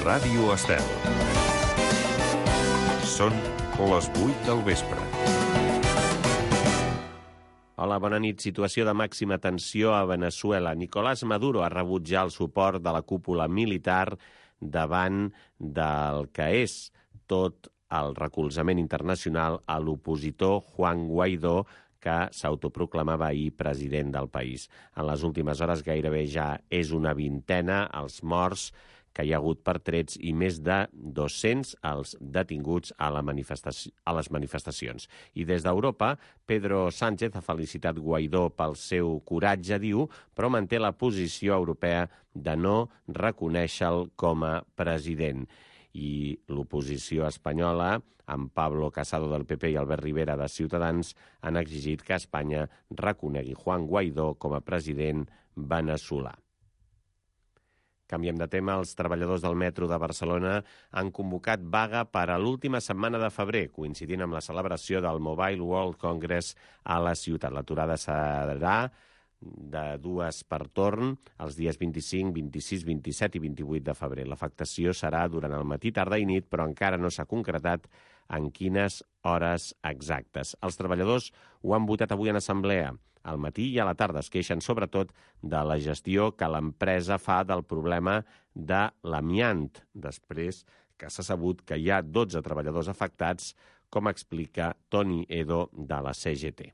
Ràdio Estel. Són les 8 del vespre. Hola, bona nit. Situació de màxima tensió a Veneçuela. Nicolás Maduro ha rebut ja el suport de la cúpula militar davant del que és tot el recolzament internacional a l'opositor Juan Guaidó, que s'autoproclamava ahir president del país. En les últimes hores gairebé ja és una vintena els morts que hi ha hagut per trets i més de 200 els detinguts a les manifestacions. I des d'Europa, Pedro Sánchez ha felicitat Guaidó pel seu coratge, diu, però manté la posició europea de no reconèixer-lo com a president. I l'oposició espanyola, amb Pablo Casado del PP i Albert Rivera de Ciutadans, han exigit que Espanya reconegui Juan Guaidó com a president veneçolà. Canviem de tema. Els treballadors del metro de Barcelona han convocat vaga per a l'última setmana de febrer, coincidint amb la celebració del Mobile World Congress a la ciutat. L'aturada serà de dues per torn, els dies 25, 26, 27 i 28 de febrer. L'afectació serà durant el matí, tarda i nit, però encara no s'ha concretat en quines hores exactes. Els treballadors ho han votat avui en assemblea. Al matí i a la tarda es queixen sobretot de la gestió que l'empresa fa del problema de l'amiant, després que s'ha sabut que hi ha 12 treballadors afectats, com explica Toni Edo de la CGT.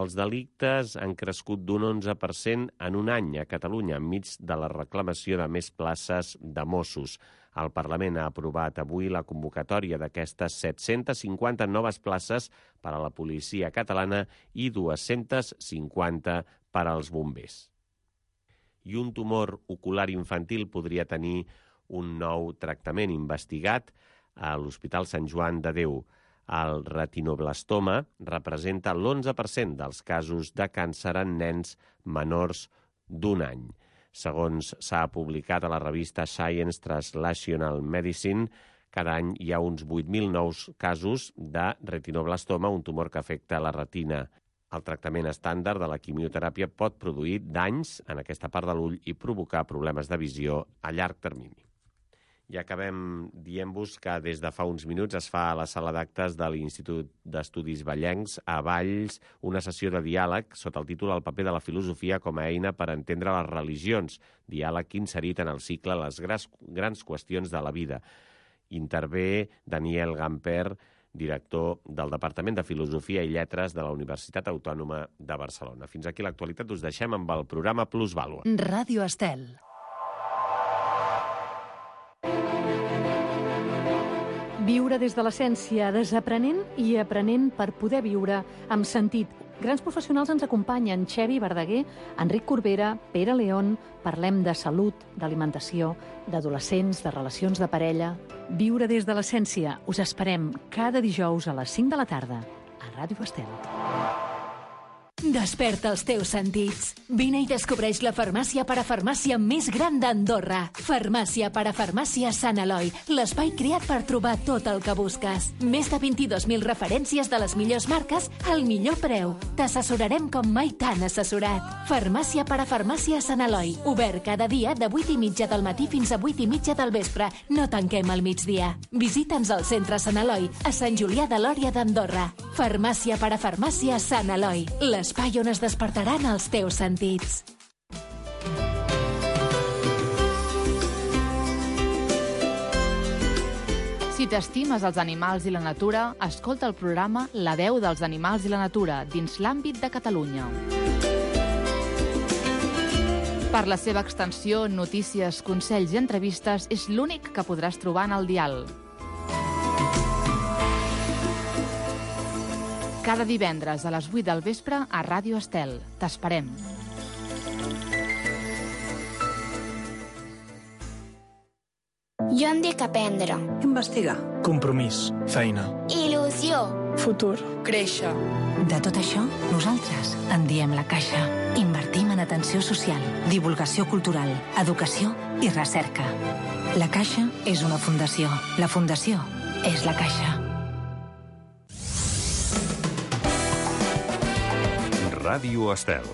Els delictes han crescut d'un 11% en un any a Catalunya, enmig de la reclamació de més places de Mossos. El Parlament ha aprovat avui la convocatòria d'aquestes 750 noves places per a la policia catalana i 250 per als bombers. I un tumor ocular infantil podria tenir un nou tractament investigat a l'Hospital Sant Joan de Déu. El retinoblastoma representa l'11% dels casos de càncer en nens menors d'un any. Segons s'ha publicat a la revista Science Translational Medicine, cada any hi ha uns 8.000 nous casos de retinoblastoma, un tumor que afecta la retina. El tractament estàndard de la quimioteràpia pot produir danys en aquesta part de l'ull i provocar problemes de visió a llarg termini. I acabem dient-vos que des de fa uns minuts es fa a la sala d'actes de l'Institut d'Estudis Vallencs a Valls una sessió de diàleg sota el títol El paper de la filosofia com a eina per entendre les religions, diàleg inserit en el cicle Les grans qüestions de la vida. Intervé Daniel Gamper, director del Departament de Filosofia i Lletres de la Universitat Autònoma de Barcelona. Fins aquí l'actualitat, us deixem amb el programa Plusvàlua. Ràdio Estel. Viure des de l'essència, desaprenent i aprenent per poder viure amb sentit. Grans professionals ens acompanyen: Xevi Verdaguer, Enric Corbera, Pere León. Parlem de salut, d'alimentació, d'adolescents, de relacions de parella. Viure des de l'essència. Us esperem cada dijous a les 5 de la tarda a Ràdio Estel. Desperta els teus sentits. Vine i descobreix la farmàcia parafarmàcia més gran d'Andorra. Farmàcia parafarmàcia Sant Eloi, l'espai creat per trobar tot el que busques. Més de 22.000 referències de les millors marques al millor preu. T'assessorarem com mai t'han assessorat. Farmàcia parafarmàcia Sant Eloi, obert cada dia de 8:30 del matí fins a 8:30 del vespre. No tanquem al migdia. Visita'ns al centre Sant Eloi, a Sant Julià de Lòria d'Andorra. Farmàcia parafarmàcia Sant Eloi, l'espai on es despertaran els teus sentits. Si t'estimes els animals i la natura, escolta el programa La veu dels animals i la natura dins l'àmbit de Catalunya. Per la seva extensió, notícies, consells i entrevistes, és l'únic que podràs trobar en el dial. Cada divendres a les 8 del vespre a Ràdio Estel. T'esperem. Jo em dic aprendre. Investigar. Compromís. Feina. Il·lusió. Futur. Créixer. De tot això, nosaltres en diem La Caixa. Invertim en atenció social, divulgació cultural, educació i recerca. La Caixa és una fundació. La fundació és La Caixa. Ràdio Estel.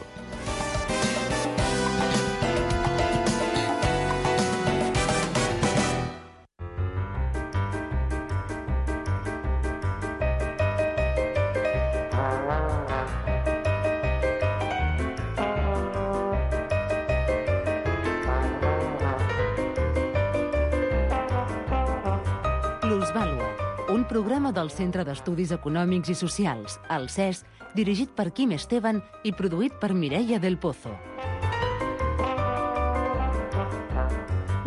programa del Centre d'Estudis Econòmics i Socials, el CES, dirigit per Quim Esteban i produït per Mireia del Pozo.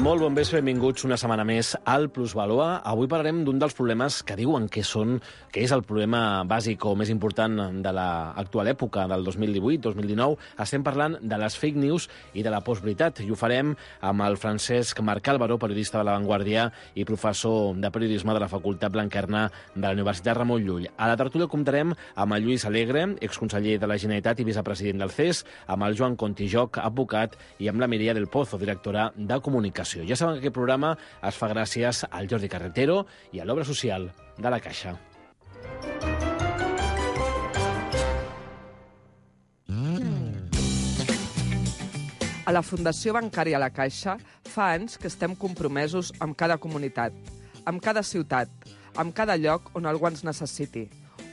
Molt bon vespre, benvinguts una setmana més al Plusvalua. Avui parlarem d'un dels problemes que diuen que és el problema bàsic o més important de l'actual època, del 2018-2019. Estem parlant de les fake news i de la postveritat, i ho farem amb el Francesc Marc Álvaro, periodista de La Vanguardia i professor de periodisme de la Facultat Blanquerna de la Universitat Ramon Llull. A la tertúlia comptarem amb el Lluís Alegre, exconseller de la Generalitat i vicepresident del CES, amb el Joan Contijoc, advocat, i amb la Mireia del Pozo, directora de Comunicació. Ja saben que aquest programa es fa gràcies al Jordi Carretero i a l'Obra Social de la Caixa. A la Fundació Bancària La Caixa fa anys que estem compromesos amb cada comunitat, amb cada ciutat, amb cada lloc on algú ens necessiti.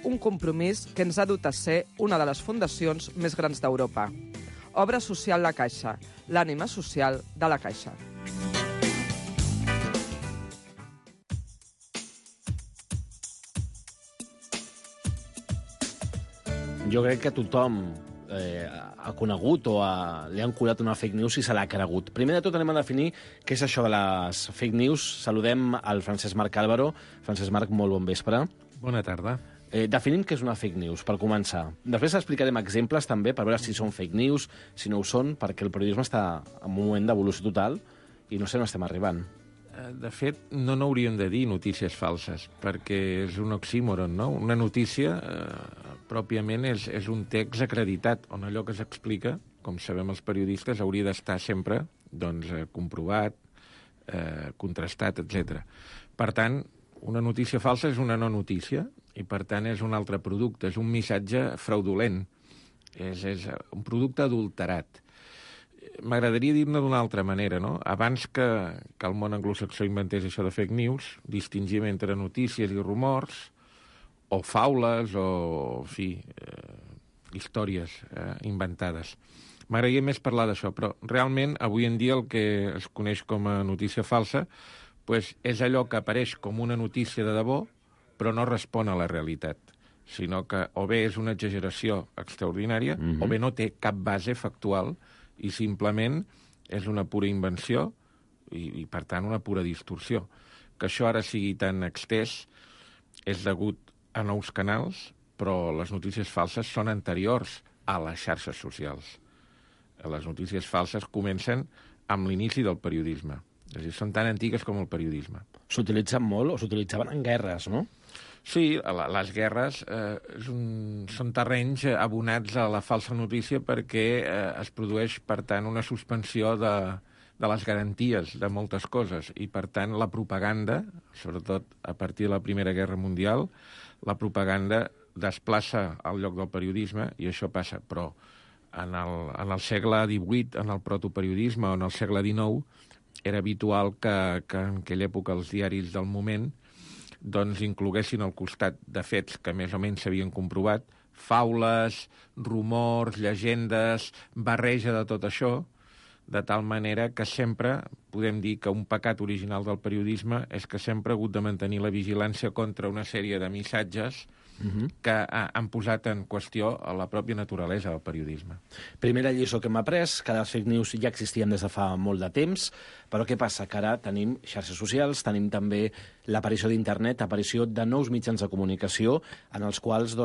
Un compromís que ens ha dut a ser una de les fundacions més grans d'Europa. Obra Social La Caixa, l'ànima social de la Caixa. Jo crec que tothom ha conegut o li han colat una fake news i se l'ha cregut. Primer de tot anem a definir què és això de les fake news. Saludem al Francesc Marc Álvaro. Francesc Marc, molt bon vespre. Bona tarda. Definim què és una fake news, per començar. Després explicarem exemples també per veure si són fake news, si no ho són, perquè el periodisme està en un moment d'evolució total i no sé on estem arribant. De fet, no n'hauríem de dir notícies falses, perquè és un oxímoron, no? Una notícia, pròpiament, és un text acreditat, on allò que s'explica, com sabem els periodistes, hauria d'estar sempre comprovat, contrastat, etc. Per tant, una notícia falsa és una no notícia, i per tant és un altre producte, és un missatge fraudulent, és un producte adulterat. M'agradaria dir-ne d'una altra manera, no? Abans que el món anglosaxó inventés això de fake news, distingim entre notícies i rumors, o faules, o, en fi, històries inventades. M'agradaria més parlar d'això, però realment avui en dia el que es coneix com a notícia falsa és allò que apareix com una notícia de debò, però no respon a la realitat, sinó que o bé és una exageració extraordinària, o bé no té cap base factual, i simplement és una pura invenció i, per tant, una pura distorsió. Que això ara sigui tan extès és degut a nous canals, però les notícies falses són anteriors a les xarxes socials. Les notícies falses comencen amb l'inici del periodisme. És a dir, són tan antigues com el periodisme. S'utilitzen molt o s'utilitzaven en guerres, no? Sí, les guerres són terrenys abonats a la falsa notícia perquè es produeix, per tant, una suspensió de les garanties de moltes coses i, per tant, la propaganda, sobretot a partir de la Primera Guerra Mundial, la propaganda desplaça al lloc del periodisme i això passa. Però en el segle XVIII, en el protoperiodisme, o en el segle XIX, era habitual que en aquella època els diaris del moment incloguessin al costat de fets que més o menys s'havien comprovat, faules, rumors, llegendes, barreja de tot això, de tal manera que sempre podem dir que un pecat original del periodisme és que sempre ha hagut de mantenir la vigilància contra una sèrie de missatges que han posat en qüestió a la pròpia naturalesa del periodisme. Primera lliçó que hem après, que les fake news ja existien des de fa molt de temps, però què passa? Que ara tenim xarxes socials, tenim també l'aparició d'internet, aparició de nous mitjans de comunicació en els quals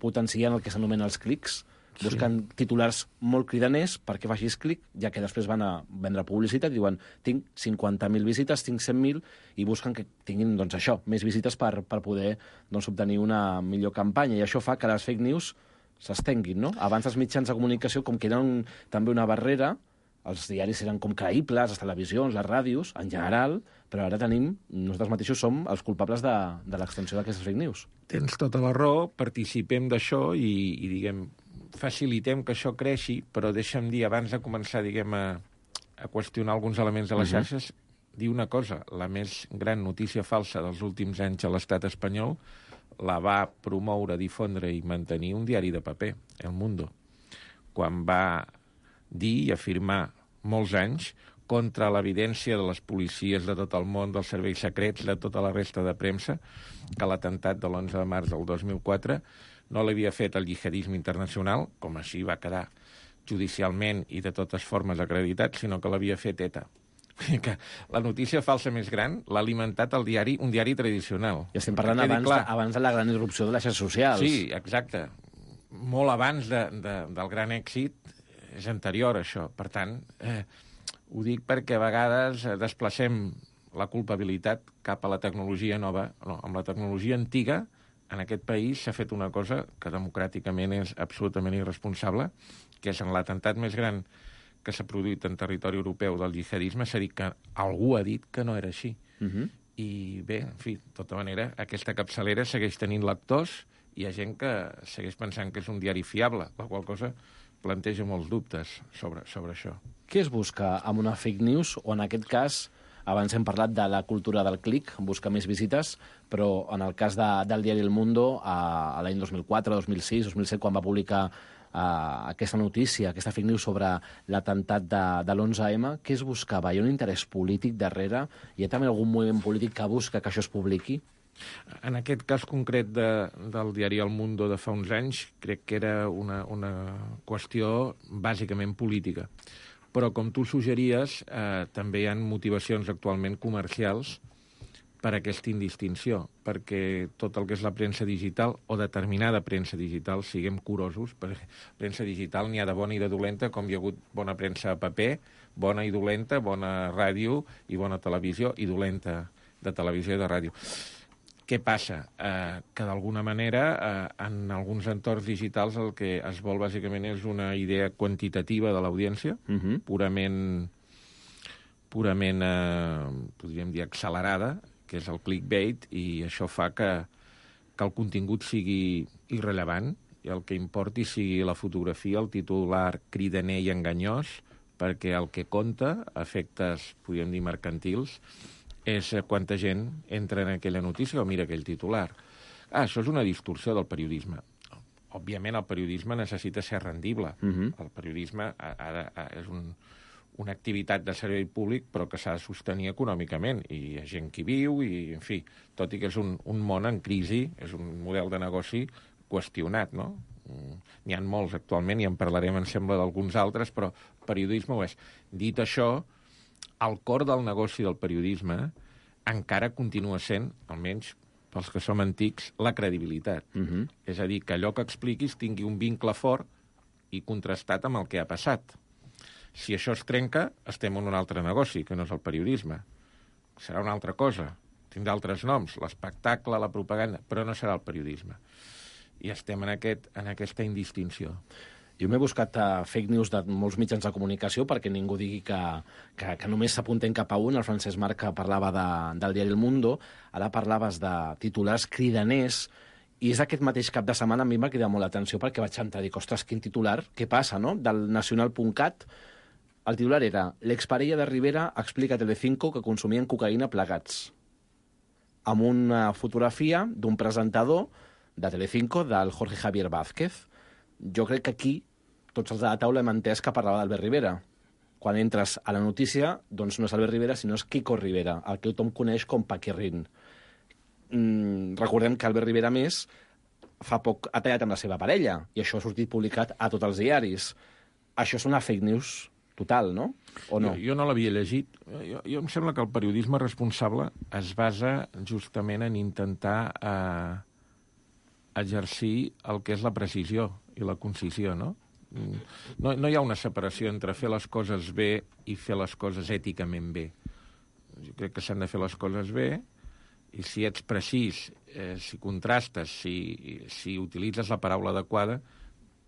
potencien el que s'anomena els clics, busquen titulars molt cridaners perquè facis clic, ja que després van a vendre publicitat i diuen tinc 50.000 visites, tinc 100.000, i busquen que tinguin això, més visites per poder obtenir una millor campanya. I això fa que les fake news s'estenguin, no? Abans els mitjans de comunicació, com que eren també una barrera, els diaris eren com creïbles, les televisions, les ràdios, en general, però ara nosaltres mateixos som els culpables de l'extensió d'aquestes fake news. Tens tota la raó, participem d'això i diguem, facilitem que això creixi, però deixa'm dir, abans de començar, a qüestionar alguns elements de les xarxes, dir una cosa, la més gran notícia falsa dels últims anys a l'estat espanyol la va promoure, difondre i mantenir un diari de paper, El Mundo, quan va dir i afirmar molts anys contra l'evidència de les policies de tot el món, dels serveis secrets, de tota la resta de premsa, que l'atemptat de l'11 de març del 2004 no l'havia fet el jihadisme internacional, com així va quedar judicialment i de totes formes acreditat, sinó que l'havia fet ETA. Que la notícia falsa més gran l'ha alimentat un diari tradicional. I estem parlant abans de la gran irrupció de les xarxes socials. Sí, exacte. Molt abans del gran èxit és anterior, això. Per tant, ho dic perquè a vegades desplacem la culpabilitat cap a la tecnologia nova. No, amb la tecnologia antiga, en aquest país s'ha fet una cosa que democràticament és absolutament irresponsable, que és en l'atemptat més gran que s'ha produït en territori europeu del jihadisme, s'ha dit que algú ha dit que no era així. I bé, en fi, de tota manera, aquesta capçalera segueix tenint lectors i hi ha gent que segueix pensant que és un diari fiable, la qual cosa planteja molts dubtes sobre això. Què es busca amb una fake news, o en aquest cas, abans hem parlat de la cultura del clic, busca més visites, però en el cas del diari El Mundo, a l'any 2004, 2006, 2007, quan va publicar aquesta notícia, aquesta fake news sobre l'atemptat de l'11M, què es buscava? Hi ha un interès polític darrere? Hi ha també algun moviment polític que busca que això es publiqui? En aquest cas concret del diari El Mundo de fa uns anys, crec que era una qüestió bàsicament política. Però, com tu suggeries, també hi ha motivacions actualment comercials per aquesta indistinció, perquè tot el que és la premsa digital, o determinada premsa digital, siguem curosos, perquè premsa digital n'hi ha de bona i de dolenta, com hi ha hagut bona premsa a paper, bona i dolenta, bona ràdio i bona televisió, i dolenta de televisió i de ràdio. Què passa? Que d'alguna manera en alguns entorns digitals el que es vol bàsicament és una idea quantitativa de l'audiència, purament podríem dir, accelerada, que és el clickbait, i això fa que el contingut sigui irrellevant i el que importi sigui la fotografia, el titular cridaner i enganyós, perquè el que compta, a efectes, podríem dir, mercantils, és quanta gent entra en aquella notícia o mira aquell titular. Això és una distorsió del periodisme. Òbviament, el periodisme necessita ser rendible. El periodisme és una activitat de servei públic, però que s'ha de sostenir econòmicament. I hi ha gent que hi viu, i, en fi, tot i que és un món en crisi, és un model de negoci qüestionat, no? N'hi ha molts actualment, i en parlarem, em sembla, d'alguns altres, però el periodisme ho és. Dit això, el cor del negoci del periodisme encara continua sent, almenys pels que som antics, la credibilitat. És a dir, que allò que expliquis tingui un vincle fort i contrastat amb el que ha passat. Si això es trenca, estem en un altre negoci, que no és el periodisme. Serà una altra cosa. Tindrà altres noms, l'espectacle, la propaganda, però no serà el periodisme. I estem en aquesta indistinció. Jo m'he buscat fake news de molts mitjans de comunicació perquè ningú digui que només s'apunten cap a un. El Francesc Marc parlava del diari El Mundo, ara parlaves de titulars cridaners, i és aquest mateix cap de setmana a mi m'ha cridat molt l'atenció perquè vaig entrar i dic, ostres, quin titular, què passa, no? Del nacional.cat, el titular era l'exparella de Rivera explica a Telecinco que consumien cocaïna plegats, amb una fotografia d'un presentador de Telecinco, del Jorge Javier Vázquez. Jo crec que aquí tots els de la taula hem entès que parlava d'Albert Rivera. Quan entres a la notícia, doncs no és Albert Rivera, sinó és Quico Rivera, el que tothom coneix com Paquirrin. Recordem que Albert Rivera, més, fa poc ha tallat amb la seva parella, i això ha sortit publicat a tots els diaris. Això és una fake news total, no? O no? Jo no l'havia llegit. Jo em sembla que el periodisme responsable es basa justament en intentar exercir el que és la precisió i la concisió, no? No hi ha una separació entre fer les coses bé i fer les coses èticament bé. Jo crec que s'han de fer les coses bé, i si ets precís, si contrastes, si utilitzes la paraula adequada,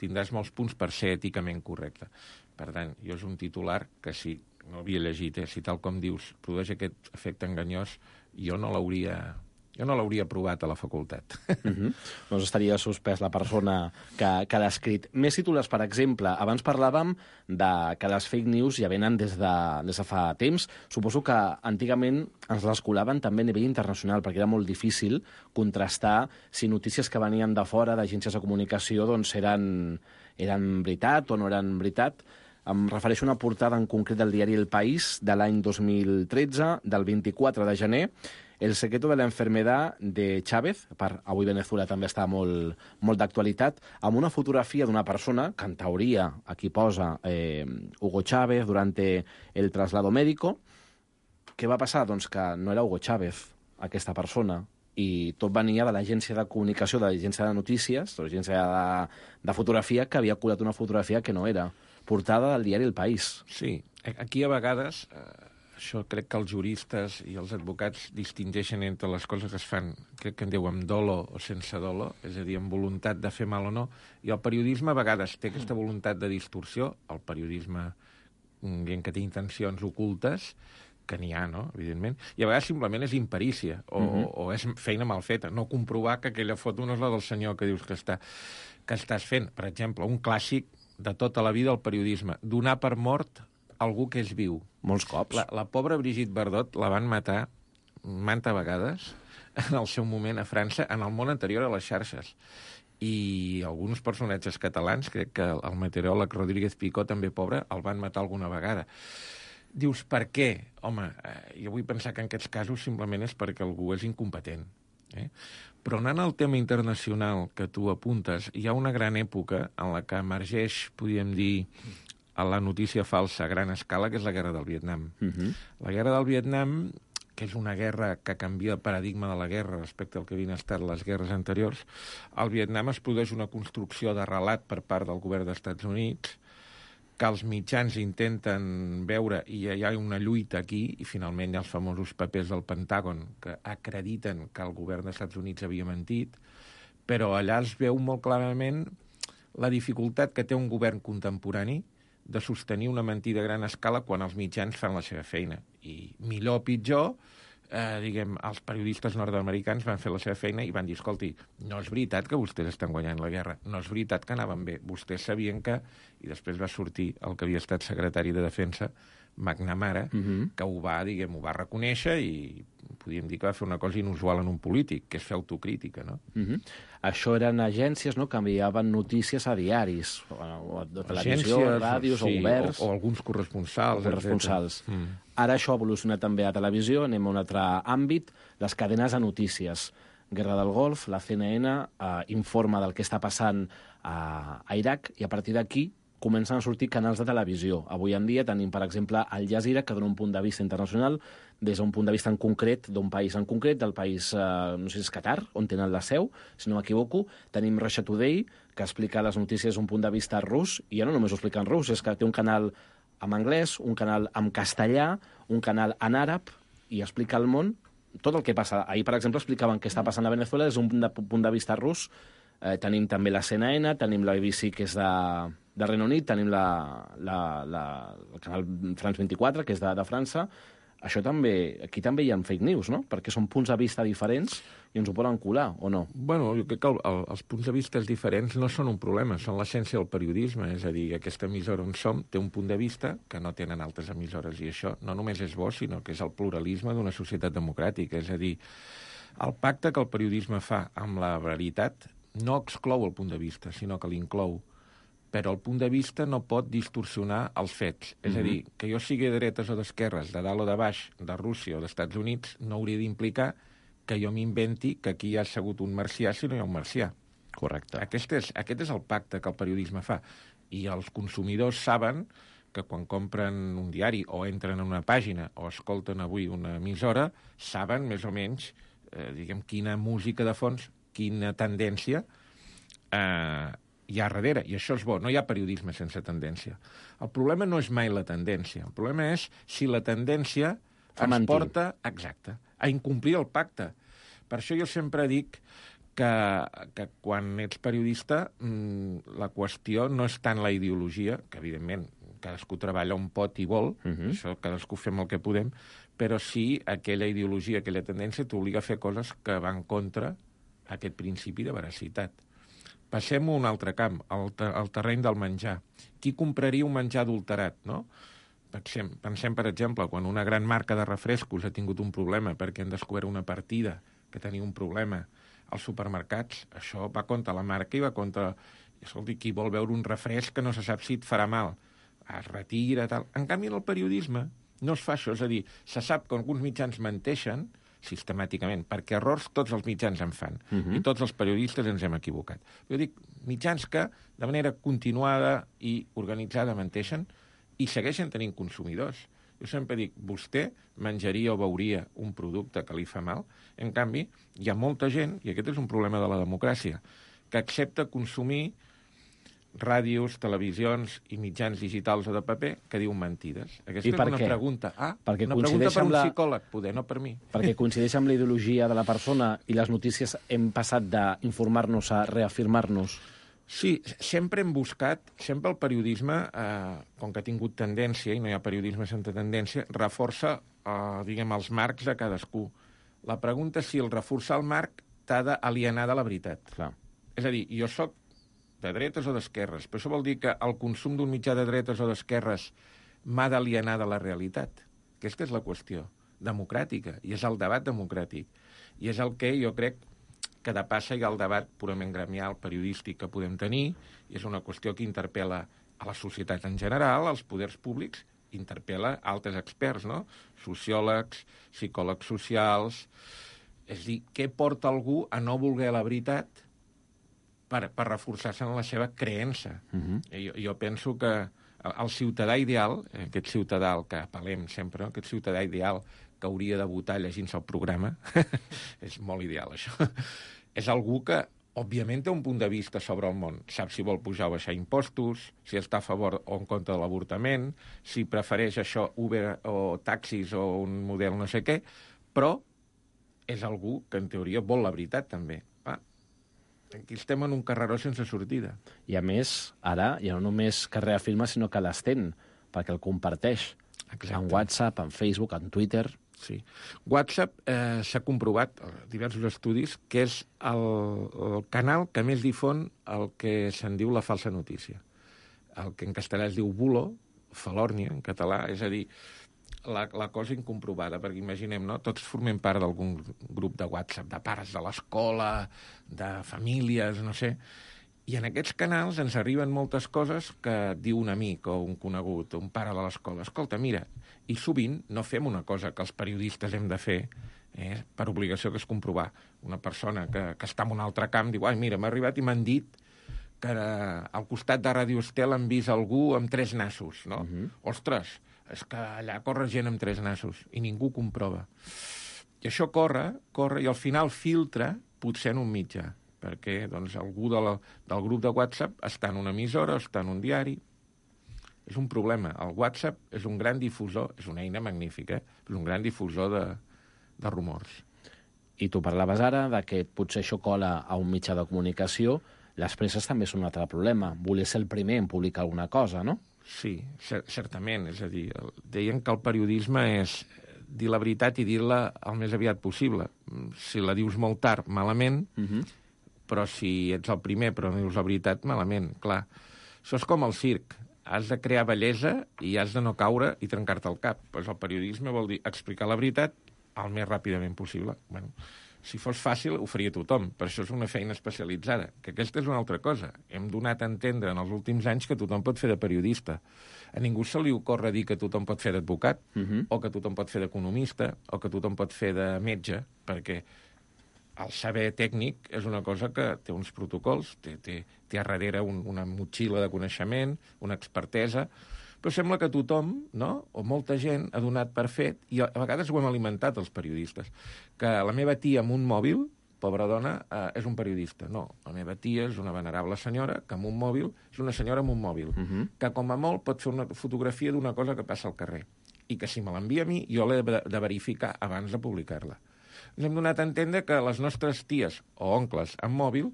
tindràs molts punts per ser èticament correcte. Per tant, jo és un titular que si no havia llegit, si tal com dius produeix aquest efecte enganyós, jo no l'hauria provat a la facultat. Doncs estaria suspès la persona que l'ha escrit. Més titulars, per exemple, abans parlàvem que les fake news ja venen des de fa temps. Suposo que antigament ens les colaven també a nivell internacional, perquè era molt difícil contrastar si notícies que venien de fora, d'agències de comunicació, doncs eren veritat o no eren veritat. Em refereixo a una portada en concret del diari El País de l'any 2013, del 24 de gener, El secreto de la enfermedad de Chávez, avui Venezuela també està molt d'actualitat, amb una fotografia d'una persona, que en teoria aquí posa Hugo Chávez durante el traslado médico. Què va passar? Doncs que no era Hugo Chávez, aquesta persona, i tot venia de l'agència de comunicació, de l'agència de notícies, de l'agència de fotografia, que havia colat una fotografia que no era. Portada del diari El País. Sí, aquí a vegades... Això crec que els juristes i els advocats distingeixen entre les coses que es fan, crec que en diu amb dolo o sense dolo, és a dir, amb voluntat de fer mal o no, i el periodisme a vegades té aquesta voluntat de distorsió, el periodisme dient que té intencions ocultes, que n'hi ha, no?, evidentment, i a vegades simplement és imperícia, o és feina mal feta, no comprovar que aquella foto no és la del senyor que dius que estàs fent. Per exemple, un clàssic de tota la vida al periodisme, donar per mort algú que és viu. Molts cops. La pobra Brigitte Bardot la van matar manta vegades en el seu moment a França, en el món anterior a les xarxes. I alguns personatges catalans, crec que el meteoròleg Rodríguez Picó, també pobre, el van matar alguna vegada. Dius, per què? Home, jo vull pensar que en aquests casos simplement és perquè algú és incompetent. Però anant al tema internacional que tu apuntes, hi ha una gran època en la que emergeix, podríem dir, a la notícia falsa a gran escala, que és la guerra del Vietnam. La guerra del Vietnam, que és una guerra que canvia el paradigma de la guerra respecte al que havien estat les guerres anteriors, al Vietnam es produeix una construcció de relat per part del govern dels Estats Units, que els mitjans intenten veure, i hi ha una lluita aquí, i finalment hi ha els famosos papers del Pentàgon que acrediten que el govern dels Estats Units havia mentit, però allà es veu molt clarament la dificultat que té un govern contemporani de sostenir una mentida a gran escala quan els mitjans fan la seva feina. I millor o pitjor, els periodistes nord-americans van fer la seva feina i van dir, escolti, no és veritat que vostès estan guanyant la guerra, no és veritat que anaven bé, vostès sabien que... I després va sortir el que havia estat secretari de Defensa, McNamara, que ho va reconèixer i podríem dir que va fer una cosa inusual en un polític, que és fer autocrítica, no? Això eren agències, no?, que enviaven notícies a diaris, o a televisió, ràdios, o governs... O alguns corresponsals. Ara això ha evolucionat també a televisió, anem a un altre àmbit, les cadenes de notícies. Guerra del Golf, la CNN informa del que està passant a Iraq, i a partir d'aquí comencen a sortir canals de televisió. Avui en dia tenim, per exemple, Al Jazeera, que dona un punt de vista internacional des d'un punt de vista en concret, d'un país en concret, del país, no sé si és Qatar, on tenen la seu, si no m'equivoco. Tenim Russia Today, que explica les notícies d'un punt de vista rus, i ja no només ho explica en rus, és que té un canal en anglès, un canal en castellà, un canal en àrab, i explica al món tot el que passa. Ahir, per exemple, explicaven què està passant a Venezuela des d'un punt de vista rus. Tenim també la CNN, tenim la BBC, que és de Regne Unit, tenim el canal France 24, que és de França. Això també, aquí també hi ha fake news, no? Perquè són punts de vista diferents i ens ho poden colar, o no? Bueno, jo crec que els punts de vista diferents no són un problema, són l'essència del periodisme. És a dir, aquesta emissora on som té un punt de vista que no tenen altres emissores, i això no només és bo, sinó que és el pluralisme d'una societat democràtica. És a dir, el pacte que el periodisme fa amb la veritat no exclou el punt de vista, sinó que l'inclou. Però el punt de vista no pot distorsionar els fets. És a dir, que jo sigui de dretes o d'esquerres, de dalt o de baix, de Rússia o dels Estats Units, no hauria d'implicar que jo m'inventi que aquí hi ha assegut un marcià si no hi ha un marcià. Correcte. Aquest és el pacte que el periodisme fa. I els consumidors saben que quan compren un diari o entren en una pàgina o escolten avui una emissora, saben més o menys quina música de fons, quina tendència hi ha darrere, i això és bo. No hi ha periodisme sense tendència. El problema no és mai la tendència. El problema és si la tendència ens porta, exacte, a incomplir el pacte. Per això jo sempre dic que quan ets periodista la qüestió no és tant la ideologia, que evidentment cadascú treballa on pot i vol, això cadascú fem el que podem, però sí aquella ideologia, aquella tendència t'obliga a fer coses que van contra aquest principi de veracitat. Passem a un altre camp, al terreny del menjar. Qui compraria un menjar adulterat, no? Pensem, per exemple, quan una gran marca de refrescos ha tingut un problema perquè han descobert una partida que tenia un problema als supermercats, això va contra la marca i va contra... Escolti, qui vol veure un refresc que no se sap si et farà mal? es retira, tal. En canvi, en el periodisme no es fa això, és a dir, se sap que alguns mitjans menteixen sistemàticament, perquè errors tots els mitjans en fan, i tots els periodistes ens hem equivocat. Jo dic, mitjans que de manera continuada i organitzada menteixen i segueixen tenint consumidors. Jo sempre dic, vostè menjaria o veuria un producte que li fa mal, en canvi, hi ha molta gent, i aquest és un problema de la democràcia, que accepta consumir ràdios, televisions i mitjans digitals o de paper que diuen mentides. Aquesta és una pregunta. Perquè una pregunta per un psicòleg, poder, no per mi. Perquè coincideix amb la ideologia de la persona i les notícies hem passat d'informar-nos a reafirmar-nos. Sí, sempre hem buscat, sempre el periodisme, com que ha tingut tendència, i no hi ha periodisme sense tendència, reforça, diguem, els marcs de cadascú. La pregunta és si el reforçar el marc t'ha d'alienar de la veritat. Clar. És a dir, jo sóc de dretes o d'esquerres, però això vol dir que el consum d'un mitjà de dretes o d'esquerres m'ha d'alienar de la realitat. Aquesta és la qüestió democràtica, i és el debat democràtic. I és el que jo crec que de passa hi ha el debat purament gremial, periodístic que podem tenir, i és una qüestió que interpel·la a la societat en general, als poders públics, interpel·la altres experts, no? Sociòlegs, psicòlegs socials. És a dir, què porta algú a no voler la veritat per reforçar-se en la seva creença? Jo penso que el ciutadà ideal, aquest ciutadà al que apel·lem sempre, no? Aquest ciutadà ideal que hauria de votar llegint-se el programa, és molt ideal, això, és algú que, òbviament, té un punt de vista sobre el món. Sap si vol pujar o baixar impostos, si està a favor o en contra de l'avortament, si prefereix això Uber o taxis o un model no sé què, però és algú que, en teoria, vol la veritat, també. Aquí estem en un carreró sense sortida. I, a més, ara ja no només que reafirma, sinó que l'estén, perquè el comparteix. Exacte. En WhatsApp, en Facebook, en Twitter. Sí. WhatsApp s'ha comprovat, diversos estudis, que és el canal que més difon el que se'n diu la falsa notícia. El que en castellà es diu bulo, falòrnia, en català, és a dir, la cosa incomprovada, perquè imaginem, no? Tots formem part d'algun grup de WhatsApp, de pares de l'escola, de famílies, no sé, i en aquests canals ens arriben moltes coses que diu un amic o un conegut, un pare de l'escola. Escolta, mira, i sovint no fem una cosa que els periodistes hem de fer per obligació, que és comprovar. Una persona que està en un altre camp diu, ai, mira, m'ha arribat i m'han dit que al costat de Ràdio Estel han vist algú amb 3 nassos, no? Ostres, és que allà corre gent amb 3 nassos i ningú comprova. I això corre, i al final filtra potser en un mitjà, perquè doncs, algú del grup de WhatsApp està en una emissora, està en un diari. És un problema. El WhatsApp és un gran difusor, és una eina magnífica, és un gran difusor de rumors. I tu parlaves ara de que potser això cola a un mitjà de comunicació. Les presses també són un altre problema. Voler ser el primer en publicar alguna cosa, no? Sí, certament. És a dir, deien que el periodisme és dir la veritat i dir-la el més aviat possible. Si la dius molt tard, malament, però si ets el primer però no dius la veritat, malament, clar. Això és com el circ. Has de crear bellesa i has de no caure i trencar-te el cap. Pues el periodisme vol dir explicar la veritat el més ràpidament possible. Bueno, si fos fàcil, ho faria tothom, però això és una feina especialitzada, que aquesta és una altra cosa. Hem donat a entendre en els últims anys que tothom pot fer de periodista. A ningú se li ocorre dir que tothom pot fer d'advocat, o que tothom pot fer d'economista, o que tothom pot fer de metge, perquè el saber tècnic és una cosa que té uns protocols, té a darrere una motxilla de coneixement, una expertesa, però sembla que tothom, no?, o molta gent, ha donat per fet, i a vegades ho hem alimentat els periodistes, que la meva tia amb un mòbil, pobra dona, és un periodista. No, la meva tia és una venerable senyora que amb un mòbil és una senyora amb un mòbil, que com a molt pot fer una fotografia d'una cosa que passa al carrer, i que si me l'envia a mi, jo l'he de verificar abans de publicar-la. Ens hem donat a entendre que les nostres ties o oncles amb mòbil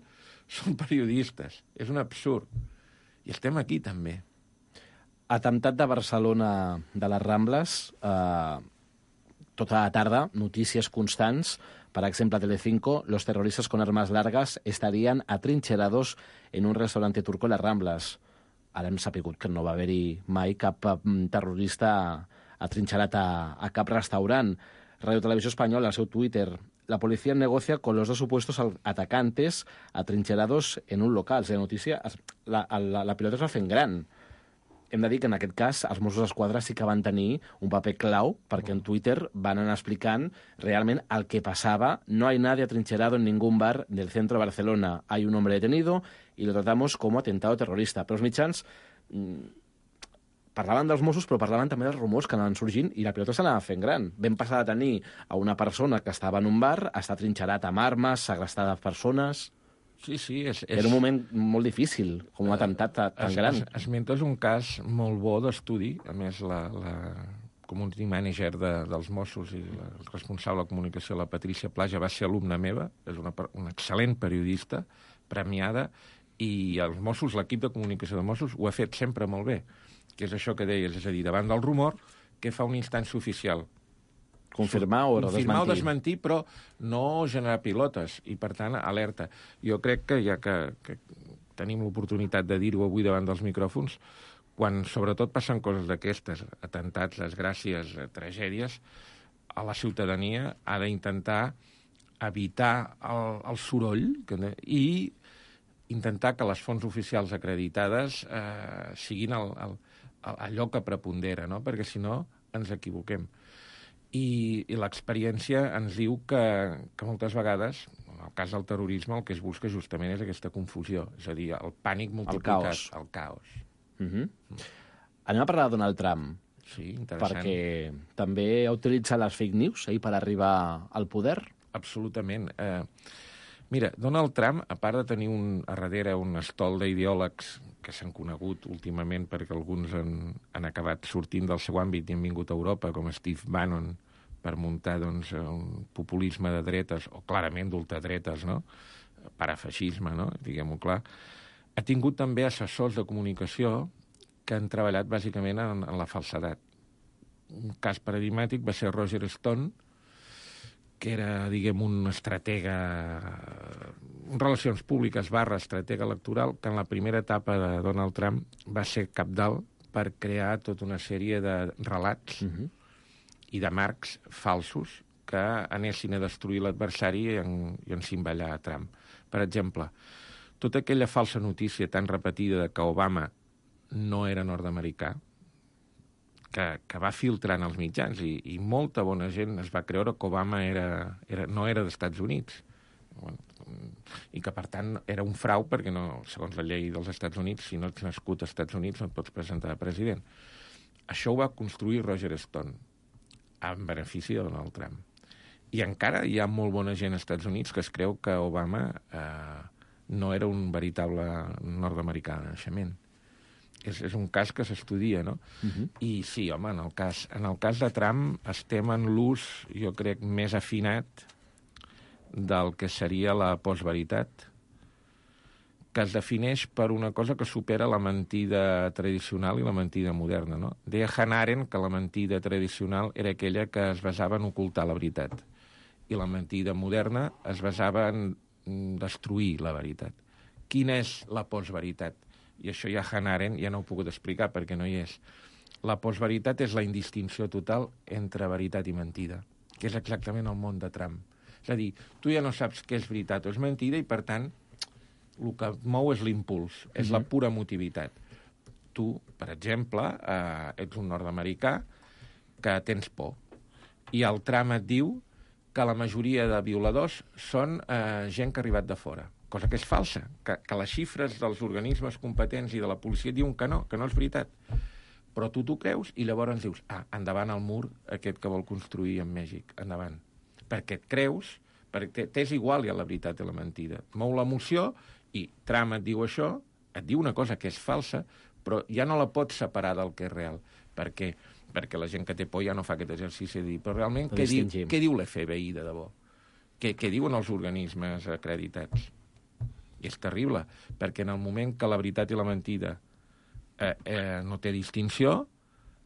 són periodistes. És un absurd. I estem aquí, també. Atemptat de Barcelona de les Rambles, tota la tarda, notícies constants. Per exemple, a Telecinco, los terroristas con armas largas estarían atrincherados en un restaurante turco en les Rambles. Ara hem sapigut que no va haver-hi mai cap terrorista atrinxerat a cap restaurant. Radio Televisió Espanyola, al seu Twitter, la policía negocia con los 2 supuestos atacantes atrincherados en un local. O sigui, la notícia, la pilota es va fent gran. hem de dir que en aquest cas els Mossos d'Esquadra sí que van tenir un paper clau perquè en Twitter van anar explicant realment el que passava. No hay nadie atrincherado en ningún bar del centro de Barcelona. Hay un hombre detenido y lo tratamos como atentado terrorista. Però els mitjans parlaven dels Mossos, però parlaven també dels rumors que anaven sorgint i la pilota s'anava fent gran. Vam passar de tenir a una persona que estava en un bar a estar trinxerat amb armes, segrestada persones... Sí, Era un moment molt difícil, com un atemptat tan gran. Esmentes un cas molt bo d'estudi. A més, la community manager dels Mossos i la responsable de comunicació, la Patricia Plaja, va ser alumna meva. És una excel·lent periodista, premiada, i els Mossos, l'equip de comunicació de Mossos, ho ha fet sempre molt bé, que és això que deies, és a dir, davant del rumor, què fa una instància oficial? Confirmar o desmentir. Confirmar o desmentir, però no generar pilotes, i per tant, alerta. Jo crec que ja que tenim l'oportunitat de dir-ho avui davant dels micròfons, quan sobretot passen coses d'aquestes, atemptats, desgràcies, tragèdies, a la ciutadania ha d'intentar evitar el soroll i intentar que les fonts oficials acreditades siguin allò que prepondera, no? Perquè si no ens equivoquem. I l'experiència ens diu que moltes vegades, en el cas del terrorisme, el que es busca justament és aquesta confusió, és a dir, el pànic multiplicat, el caos. Anem a parlar de Donald Trump. Sí, interessant. Perquè també ha utilitzat les fake news per arribar al poder. Absolutament. Mira, Donald Trump, a part de tenir a darrere un estol d'ideòlegs que s'han conegut últimament perquè alguns han acabat sortint del seu àmbit i han vingut a Europa, com Steve Bannon, per muntar doncs, un populisme de dretes, o clarament d'ultradretes, no? Parafeixisme, no? Diguem-ho clar. Ha tingut també assessors de comunicació que han treballat bàsicament en la falsedat. Un cas paradigmàtic va ser Roger Stone, que era, diguem, un estratega, relacions públiques / estratega electoral, que en la primera etapa de Donald Trump va ser cabdal per crear tota una sèrie de relats i de marcs falsos que anessin a destruir l'adversari i encimbellar a Trump. Per exemple, tota aquella falsa notícia tan repetida de que Obama no era nord-americà, que va filtrant els mitjans i molta bona gent es va creure que Obama no era dels Estats Units i que, per tant, era un frau perquè, no, segons la llei dels Estats Units, si no ets nascut als Estats Units no et pots presentar a president. Això ho va construir Roger Stone en benefici de Donald Trump. I encara hi ha molt bona gent als Estats Units que es creu que Obama no era un veritable nord-americà de naixement. És un cas que s'estudia, no? I sí, home, en el cas de Trump estem en l'ús, jo crec, més afinat del que seria la postveritat, que es defineix per una cosa que supera la mentida tradicional i la mentida moderna, no? Deia Hannah Arendt que la mentida tradicional era aquella que es basava en ocultar la veritat, i la mentida moderna es basava en destruir la veritat. Quina és la postveritat? I això ja Hannah Arendt ja no ho he pogut explicar perquè no hi és. La postveritat és la indistinció total entre veritat i mentida, que és exactament el món de Trump. És a dir, tu ja no saps què és veritat o és mentida i, per tant, el que et mou és l'impuls, és la pura emotivitat. Tu, per exemple, ets un nord-americà que tens por i el Trump et diu que la majoria de violadors són gent que ha arribat de fora, cosa que és falsa, que les xifres dels organismes competents i de la policia diuen que no és veritat. Però tu t'ho creus i llavors dius, endavant el mur aquest que vol construir en Mèxic, endavant. Perquè et creus, perquè t'és igual ja la veritat i la mentida. Et mou l'emoció i Trump et diu això, et diu una cosa que és falsa, però ja no la pots separar del que és real, perquè la gent que té por ja no fa aquest exercici de dir, però realment què diu l'FBI de debò? Què diuen els organismes acreditats? I és terrible, perquè en el moment que la veritat i la mentida no té distinció,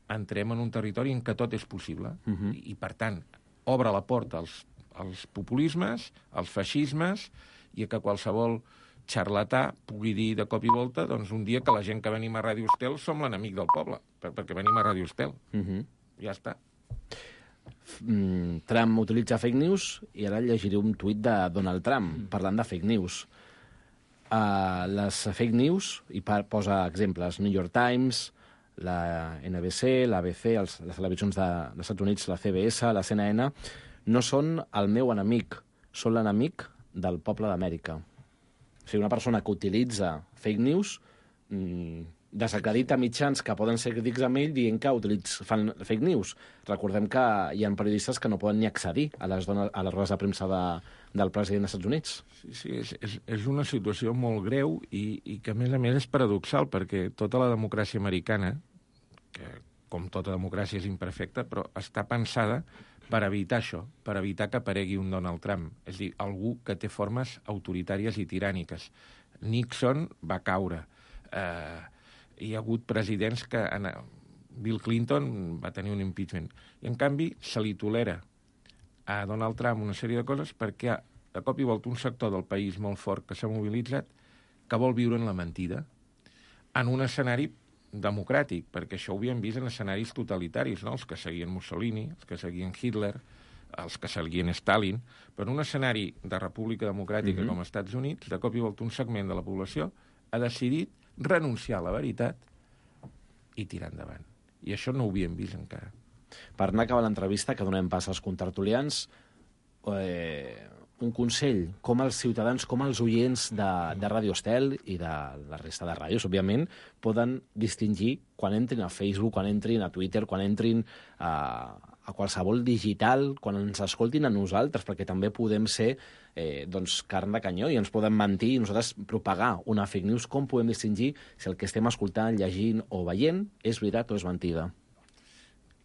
entrem en un territori en què tot és possible. I, per tant, obre la porta als populismes, als feixismes, i que qualsevol xarlatà pugui dir de cop i volta doncs, un dia que la gent que venim a Ràdio Estel som l'enemic del poble, perquè venim a Ràdio Estel. Ja està. Trump utilitza fake news i ara llegiré un tuit de Donald Trump parlant de fake news. Les fake news, i posa exemples, New York Times, la NBC, l'ABC, les televisions dels Estats Units, la CBS, la CNN, no són el meu enemic, són l'enemic del poble d'Amèrica. O sigui, una persona que utilitza fake news desacredita mitjans que poden ser crítics amb ell dient que fan fake news. Recordem que hi ha periodistes que no poden ni accedir a les rodes de premsa del president dels Estats Units. Sí, és una situació molt greu i que, a més, és paradoxal, perquè tota la democràcia americana, que com tota democràcia és imperfecta, però està pensada per evitar això, per evitar que aparegui un Donald Trump. És a dir, algú que té formes autoritàries i tiràniques. Nixon va caure. Hi ha hagut presidents que... Bill Clinton va tenir un impeachment. I, en canvi, se li tolera a Donald Trump una sèrie de coses perquè, de cop i volta, un sector del país molt fort que s'ha mobilitzat que vol viure en la mentida en un escenari democràtic, perquè això ho havíem vist en escenaris totalitaris, no? Els que seguien Mussolini, els que seguien Hitler, els que seguien Stalin, però en un escenari de república democràtica com els Estats Units, de cop i volta un segment de la població ha decidit renunciar a la veritat i tirar endavant. I això no ho havíem vist encara. Per anar acabant l'entrevista, que donem pas als contertulians, un consell, com els ciutadans, com els oients de Ràdio Estel i de la resta de ràdios, òbviament, poden distingir quan entrin a Facebook, quan entrin a Twitter, quan entrin a qualsevol digital, quan ens escoltin a nosaltres, perquè també podem ser carn de canyó i ens poden mentir i nosaltres propagar una fake news. Com podem distingir si el que estem escoltant, llegint o veient és veritat o és mentida?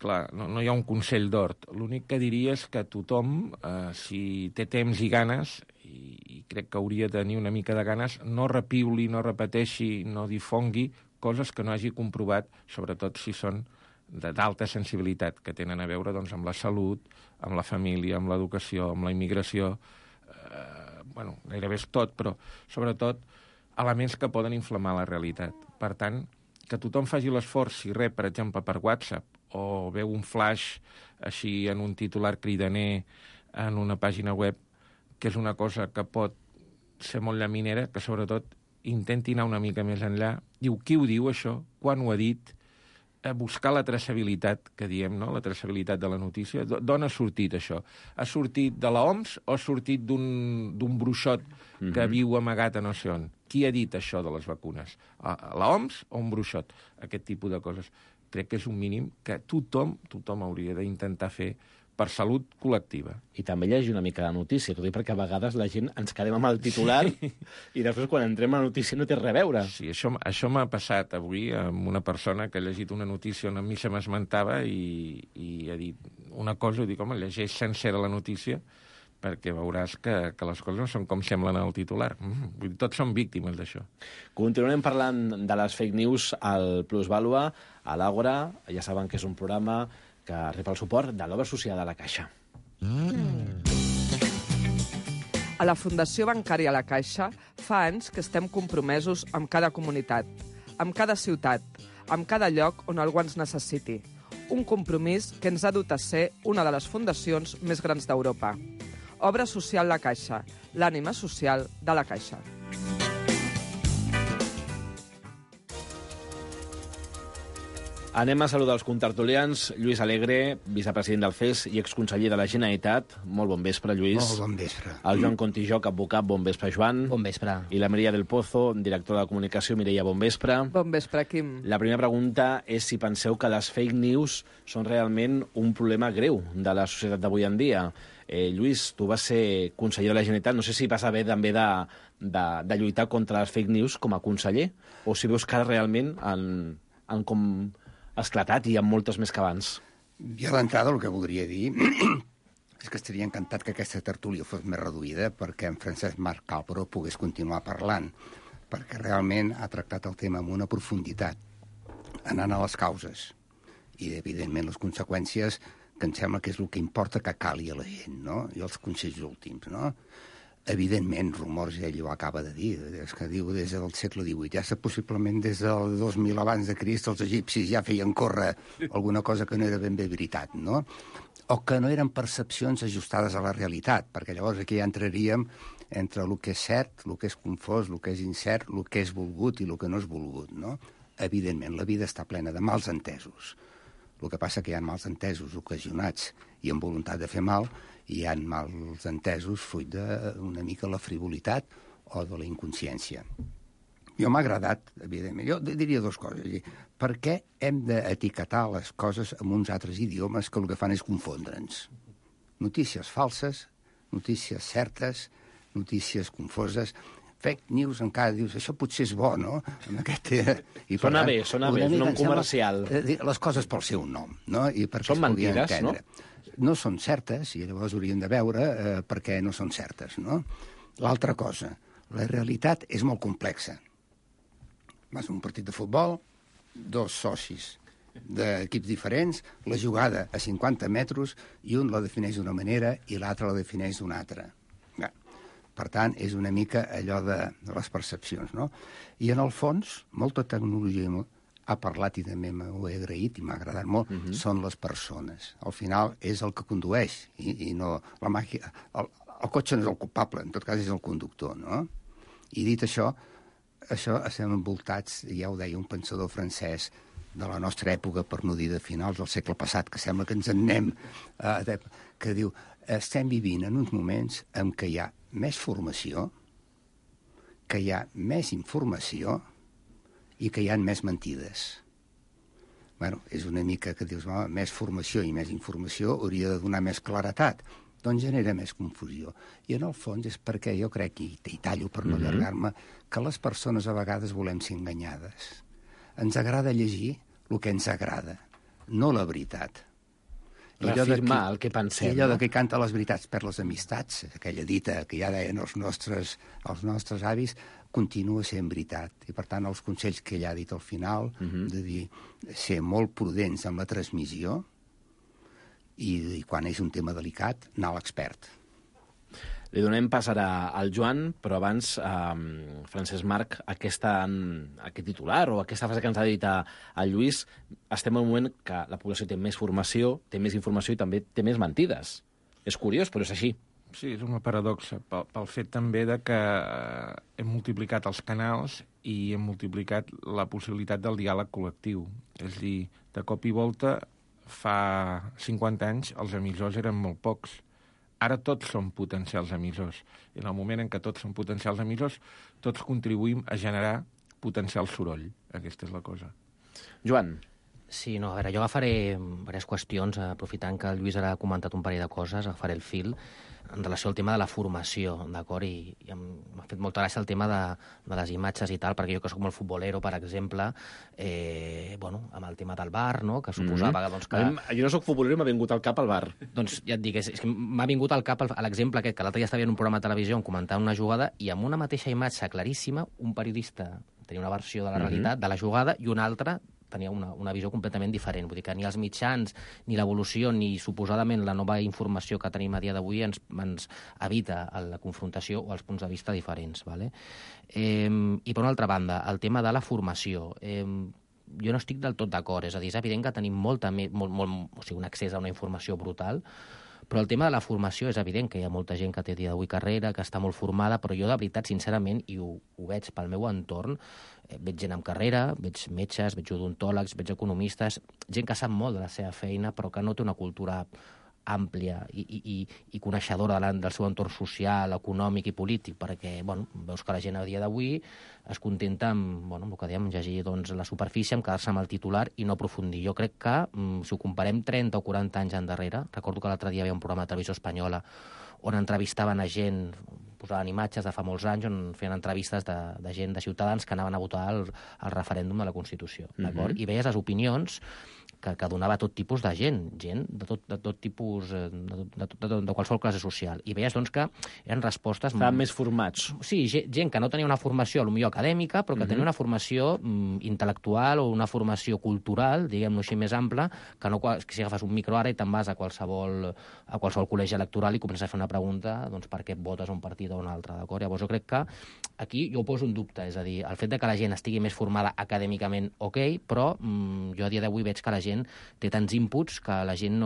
Clar, no hi ha un consell d'hort. L'únic que diria és que tothom, si té temps i ganes, i crec que hauria de tenir una mica de ganes, no repiuli, no repeteixi, no difongui coses que no hagi comprovat, sobretot si són d'alta sensibilitat, que tenen a veure amb la salut, amb la família, amb l'educació, amb la immigració, gairebé és tot, però sobretot elements que poden inflamar la realitat. Per tant, que tothom faci l'esforç, si rep, per exemple, per WhatsApp, o veu un flash així en un titular cridaner en una pàgina web, que és una cosa que pot ser molt llaminera, que sobretot intenti anar una mica més enllà. Diu, qui ho diu, això? Quan ho ha dit? Buscar la traçabilitat, que diem, no? La traçabilitat de la notícia. D'on ha sortit això? Ha sortit de l'OMS o ha sortit d'un bruixot que viu amagat a no sé on? Qui ha dit això de les vacunes? L'OMS o un bruixot? Aquest tipus de coses. Crec que és un mínim que tothom hauria d'intentar fer per salut col·lectiva. I també llegir una mica de notícia, tot i perquè a vegades la gent ens quedem amb el titular i després quan entrem a la notícia no té res a veure. Sí, això m'ha passat avui amb una persona que ha llegit una notícia on a mi se m'esmentava i ha dit una cosa, i dic, home, llegeix sencera la notícia perquè veuràs que les coses no són com semblen al titular. Vull dir, tots som víctimes d'això. Continuarem parlant de les fake news al Plusvàlua, a l'Àgora. Ja saben que és un programa que rep el suport de l'Obra Social de la Caixa. A la Fundació Bancària La Caixa fa anys que estem compromesos amb cada comunitat, amb cada ciutat, amb cada lloc on algú ens necessiti. Un compromís que ens ha dut a ser una de les fundacions més grans d'Europa. Obra Social La Caixa, l'ànima social de la Caixa. Anem a saludar els contertulians. Lluís Alegre, vicepresident del FES i exconseller de la Generalitat. Molt bon vespre, Lluís. Molt bon vespre. El Joan Contijoc, advocat. Bon vespre, Joan. Bon vespre. I la Mireia del Pozo, directora de comunicació. Mireia, bon vespre. Bon vespre, Quim. La primera pregunta és si penseu que les fake news són realment un problema greu de la societat d'avui en dia. Lluís, tu vas ser conseller de la Generalitat. No sé si vas haver també de lluitar contra les fake news com a conseller o si veus que ara realment han com esclatat i hi ha moltes més que abans. Jo d'entrada el que voldria dir és que estaria encantat que aquesta tertúlia fos més reduïda perquè en Francesc Marc Calpro pogués continuar parlant, perquè realment ha tractat el tema amb una profunditat, anant a les causes i, evidentment, les conseqüències, que em sembla que és el que importa que cali a la gent, no? I els consells últims, no? Evidentment, rumors, ell ho acaba de dir, és que diu des del segle XVIII, ja possiblement des del 2000 abans de Crist els egipcis ja feien córrer alguna cosa que no era ben bé veritat, no? O que no eren percepcions ajustades a la realitat, perquè llavors aquí ja entraríem entre el que és cert, el que és confós, el que és incert, el que és volgut i el que no és volgut, no? evidentment, la vida està plena de mals entesos. El que passa que hi ha mals entesos ocasionats i amb voluntat de fer mal, i hi ha mals entesos fruit d'una mica la frivolitat o de la inconsciència. Jo m'ha agradat, evidentment. Jo diria dues coses. Per què hem d'etiquetar les coses amb uns altres idiomes que el que fan és confondre'ns? Notícies falses, notícies certes, notícies confoses, fake news encara dius, això potser és bo, no? Sona bé, és un nom comercial. Les coses pel seu nom, no? Són mentides, no? No són certes, i llavors hauríem de veure per què no són certes, no? L'altra cosa, la realitat és molt complexa. Vas a un partit de futbol, dos socis d'equips diferents, la jugada a 50 metres, i un la defineix d'una manera i l'altre la defineix d'una altra. Per tant, és una mica allò de les percepcions, no? I en el fons, molta tecnologia ha parlat i també m'ho he agraït i m'ha agradat molt, són les persones. Al final és el que condueix i no la màquina. El cotxe no és el culpable, en tot cas és el conductor, no? I dit això estem envoltats, ja ho deia un pensador francès de la nostra època, per no dir de finals del segle passat, que sembla que ens en anem, que diu, estem vivint en uns moments en què hi ha més formació, que hi ha més informació i que hi ha més mentides. Bueno, és una mica que dius, més formació i més informació hauria de donar més claretat. Doncs genera més confusió. I en el fons és perquè jo crec, i tallo per no allargar-me, que les persones a vegades volem ser enganyades. Ens agrada llegir el que ens agrada, no la veritat. Reafirmar el que pensem. I allò que canta les veritats per les amistats, aquella dita que ja deien els nostres avis, continua sent veritat. I, per tant, els consells que ella ha dit al final, de dir, ser molt prudents amb la transmissió i quan és un tema delicat, anar a l'expert. Li donem pas ara al Joan, però abans, Francesc Marc, aquest titular o aquesta frase que ens ha dit el Lluís, estem en un moment que la població té més formació, té més informació i també té més mentides. És curiós, però és així. Sí, és una paradoxa, pel fet també de que hem multiplicat els canals i hem multiplicat la possibilitat del diàleg col·lectiu. És a dir, de cop i volta, fa 50 anys, els emissors eren molt pocs. Ara tots som potencials emissors. I en el moment en què tots som potencials emissors, tots contribuïm a generar potencial soroll. Aquesta és la cosa. Joan. Sí, no, a veure, jo agafaré diverses qüestions, aprofitant que el Lluís ara ha comentat un parell de coses, agafaré el fil en relació al tema de la formació, d'acord? I m'ha fet molta gràcia el tema de les imatges i tal, perquè jo que soc molt futbolero, per exemple, amb el tema del VAR, no?, que suposava que... Jo no soc futbolero i m'ha vingut al cap el VAR. Doncs ja et dic, és que m'ha vingut al cap l'exemple aquest, que l'altre dia estava en un programa de televisió on comentant una jugada i amb una mateixa imatge claríssima, un periodista tenia una versió de la realitat de la jugada i un altre tenia una visió completament diferent. Vull dir que ni els mitjans, ni l'evolució, ni suposadament la nova informació que tenim a dia d'avui ens evita la confrontació o els punts de vista diferents. Vale? I per una altra banda, el tema de la formació. Jo no estic del tot d'acord. És a dir, és evident que tenim un accés a una informació brutal, però el tema de la formació és evident que hi ha molta gent que té a dia d'avui carrera, que està molt formada, però jo de veritat, sincerament, i ho veig pel meu entorn, veig gent amb carrera, veig metges, veig odontòlegs, veig economistes, gent que sap molt de la seva feina, però que no té una cultura àmplia i coneixedora del seu entorn social, econòmic i polític, perquè veus que la gent a dia d'avui es contenta amb el que dèiem, llegir la superfície, amb quedar-se amb el titular i no aprofundir. Jo crec que, si ho comparem 30 o 40 anys endarrere, recordo que l'altre dia hi havia un programa de televisió espanyola on entrevistaven a gent, posaven imatges de fa molts anys, on feien entrevistes de gent, de ciutadans que anaven a votar el referèndum de la Constitució. I veies les opinions que donava tot tipus de gent de tot tipus, de qualsevol classe social. I veies, que eren respostes... Estaven més formats. Sí, gent que no tenia una formació, potser acadèmica, però que tenia una formació intel·lectual o una formació cultural, diguem-ho així, més ampla, que si agafes un micro ara i te'n vas a qualsevol col·legi electoral i comences a fer una pregunta, per què votes un partit o un altre, d'acord? Llavors jo crec que aquí jo ho poso en dubte, és a dir, el fet de que la gent estigui més formada acadèmicament, però jo a dia d'avui veig que la gent té tants inputs que la gent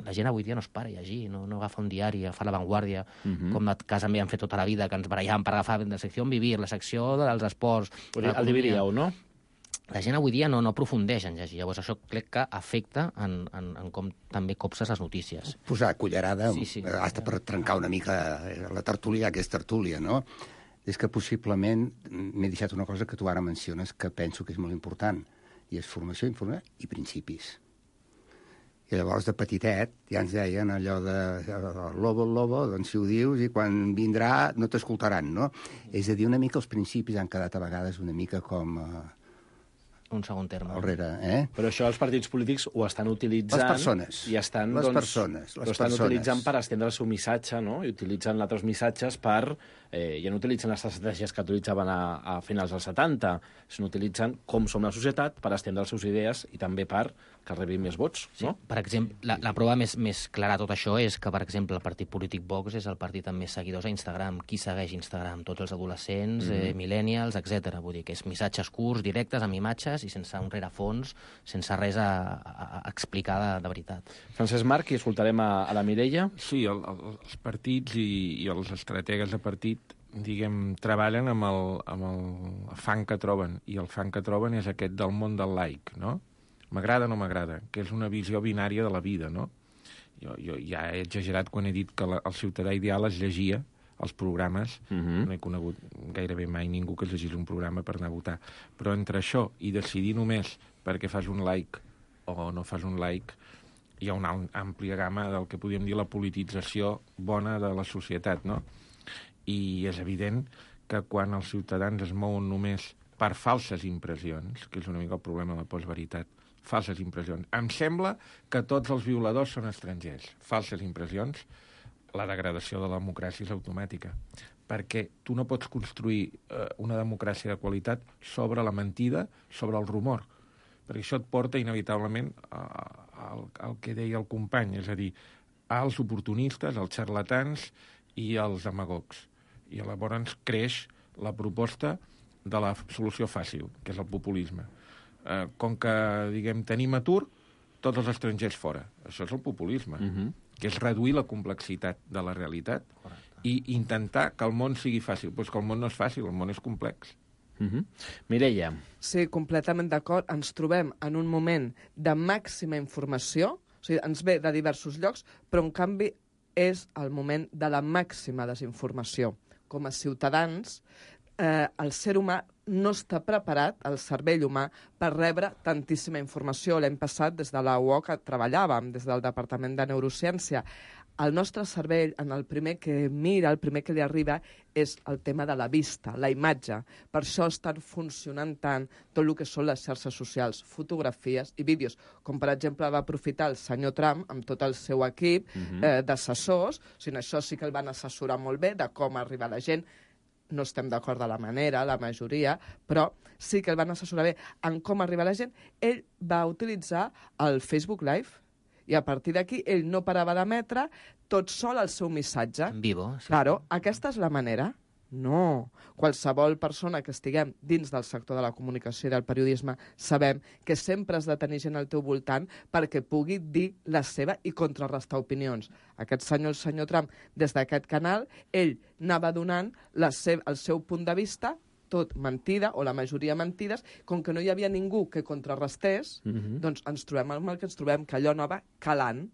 la gent avui dia no es para a llegir, no agafa un diari, agafa La Vanguardia, com a casa també han fet tota la vida, que ens barallàvem per agafar la secció On Vivir, la secció dels esports... El dividíeu, no? la gent avui dia no aprofundeix en llegir. Llavors això crec que afecta en com també copses les notícies. Posar cullerada, hasta per trencar una mica la tertúlia, que és tertúlia, no? És que possiblement m'he deixat una cosa que tu ara menciones que penso que és molt important, i és formació, informació i principis. I llavors, de petitet, ja ens deien allò de el lobo, doncs si ho dius, i quan vindrà no t'escoltaran, no? És a dir, una mica els principis han quedat a vegades una mica com... un segon terme. Però això els partits polítics ho estan utilitzant... Les persones. I estan, les persones. Ho estan utilitzant per estendre el seu missatge, no? I utilitzen altres missatges per... ja no utilitzen les estratègies que utilitzaven a finals dels 70, sinó utilitzen com som la societat per estendre les seves idees i també per que rebin més vots, no? Per exemple, la prova més clara de tot això és que, per exemple, el partit polític Vox és el partit amb més seguidors a Instagram. Qui segueix Instagram? Tots els adolescents, millennials, etc. Vull dir que és missatges curts, directes, amb imatges i sense un rerefons, sense res a explicar de veritat. Francesc Marc, i escoltarem a la Mireia. Sí, els partits i els estrategues de partit, diguem, treballen amb el fang que troben, i el fang que troben és aquest del món del like, no? M'agrada o no m'agrada, que és una visió binària de la vida, no? Jo ja he exagerat quan he dit que el ciutadà ideal es llegia els programes. No he conegut gairebé mai ningú que es llegís un programa per anar a votar. Però entre això i decidir només perquè fas un like o no fas un like, hi ha una àmplia gamma del que podríem dir la politització bona de la societat, no? I és evident que quan els ciutadans es mouen només per falses impressions, que és una mica el problema de la postveritat, falses impressions. Em sembla que tots els violadors són estrangers. Falses impressions, la degradació de la democràcia és automàtica. Perquè tu no pots construir una democràcia de qualitat sobre la mentida, sobre el rumor. Perquè això et porta inevitablement al que deia el company, és a dir, als oportunistes, als xarlatans i als demagogs. I llavors creix la proposta de la solució fàcil, que és el populisme. Com que, diguem, tenim atur, tots els estrangers fora. Això és el populisme, que és reduir la complexitat de la realitat i intentar que el món sigui fàcil. Però és que el món no és fàcil, el món és complex. Mireia. Sí, completament d'acord. Ens trobem en un moment de màxima informació, o sigui, ens ve de diversos llocs, però en canvi és el moment de la màxima desinformació. Com a ciutadans, el ser humà no està preparat, el cervell humà, per rebre tantíssima informació. L'any passat, des de la UOC, treballàvem, des del Departament de Neurociència. El nostre cervell, en el primer que mira, el primer que li arriba, és el tema de la vista, la imatge. Per això estan funcionant tant tot el que són les xarxes socials, fotografies i vídeos. Com, per exemple, va aprofitar el senyor Trump amb tot el seu equip d'assessors. O sigui, això sí que el van assessorar molt bé de com arribar a la gent. No estem d'acord de la manera, la majoria, però sí que el van assessorar bé en com arribar a la gent. Ell va utilitzar el Facebook Live i a partir d'aquí ell no parava d'emetre tot sol el seu missatge. En vivo. Sí. Claro, aquesta és la manera? No. Qualsevol persona que estiguem dins del sector de la comunicació i del periodisme sabem que sempre has de tenir gent al teu voltant perquè pugui dir la seva i contrarrestar opinions. Aquest senyor, el senyor Trump, des d'aquest canal, ell anava donant el seu punt de vista, tot mentida, o la majoria mentides, com que no hi havia ningú que contrarrestés, doncs ens trobem amb el que ens trobem, que allò anava calant.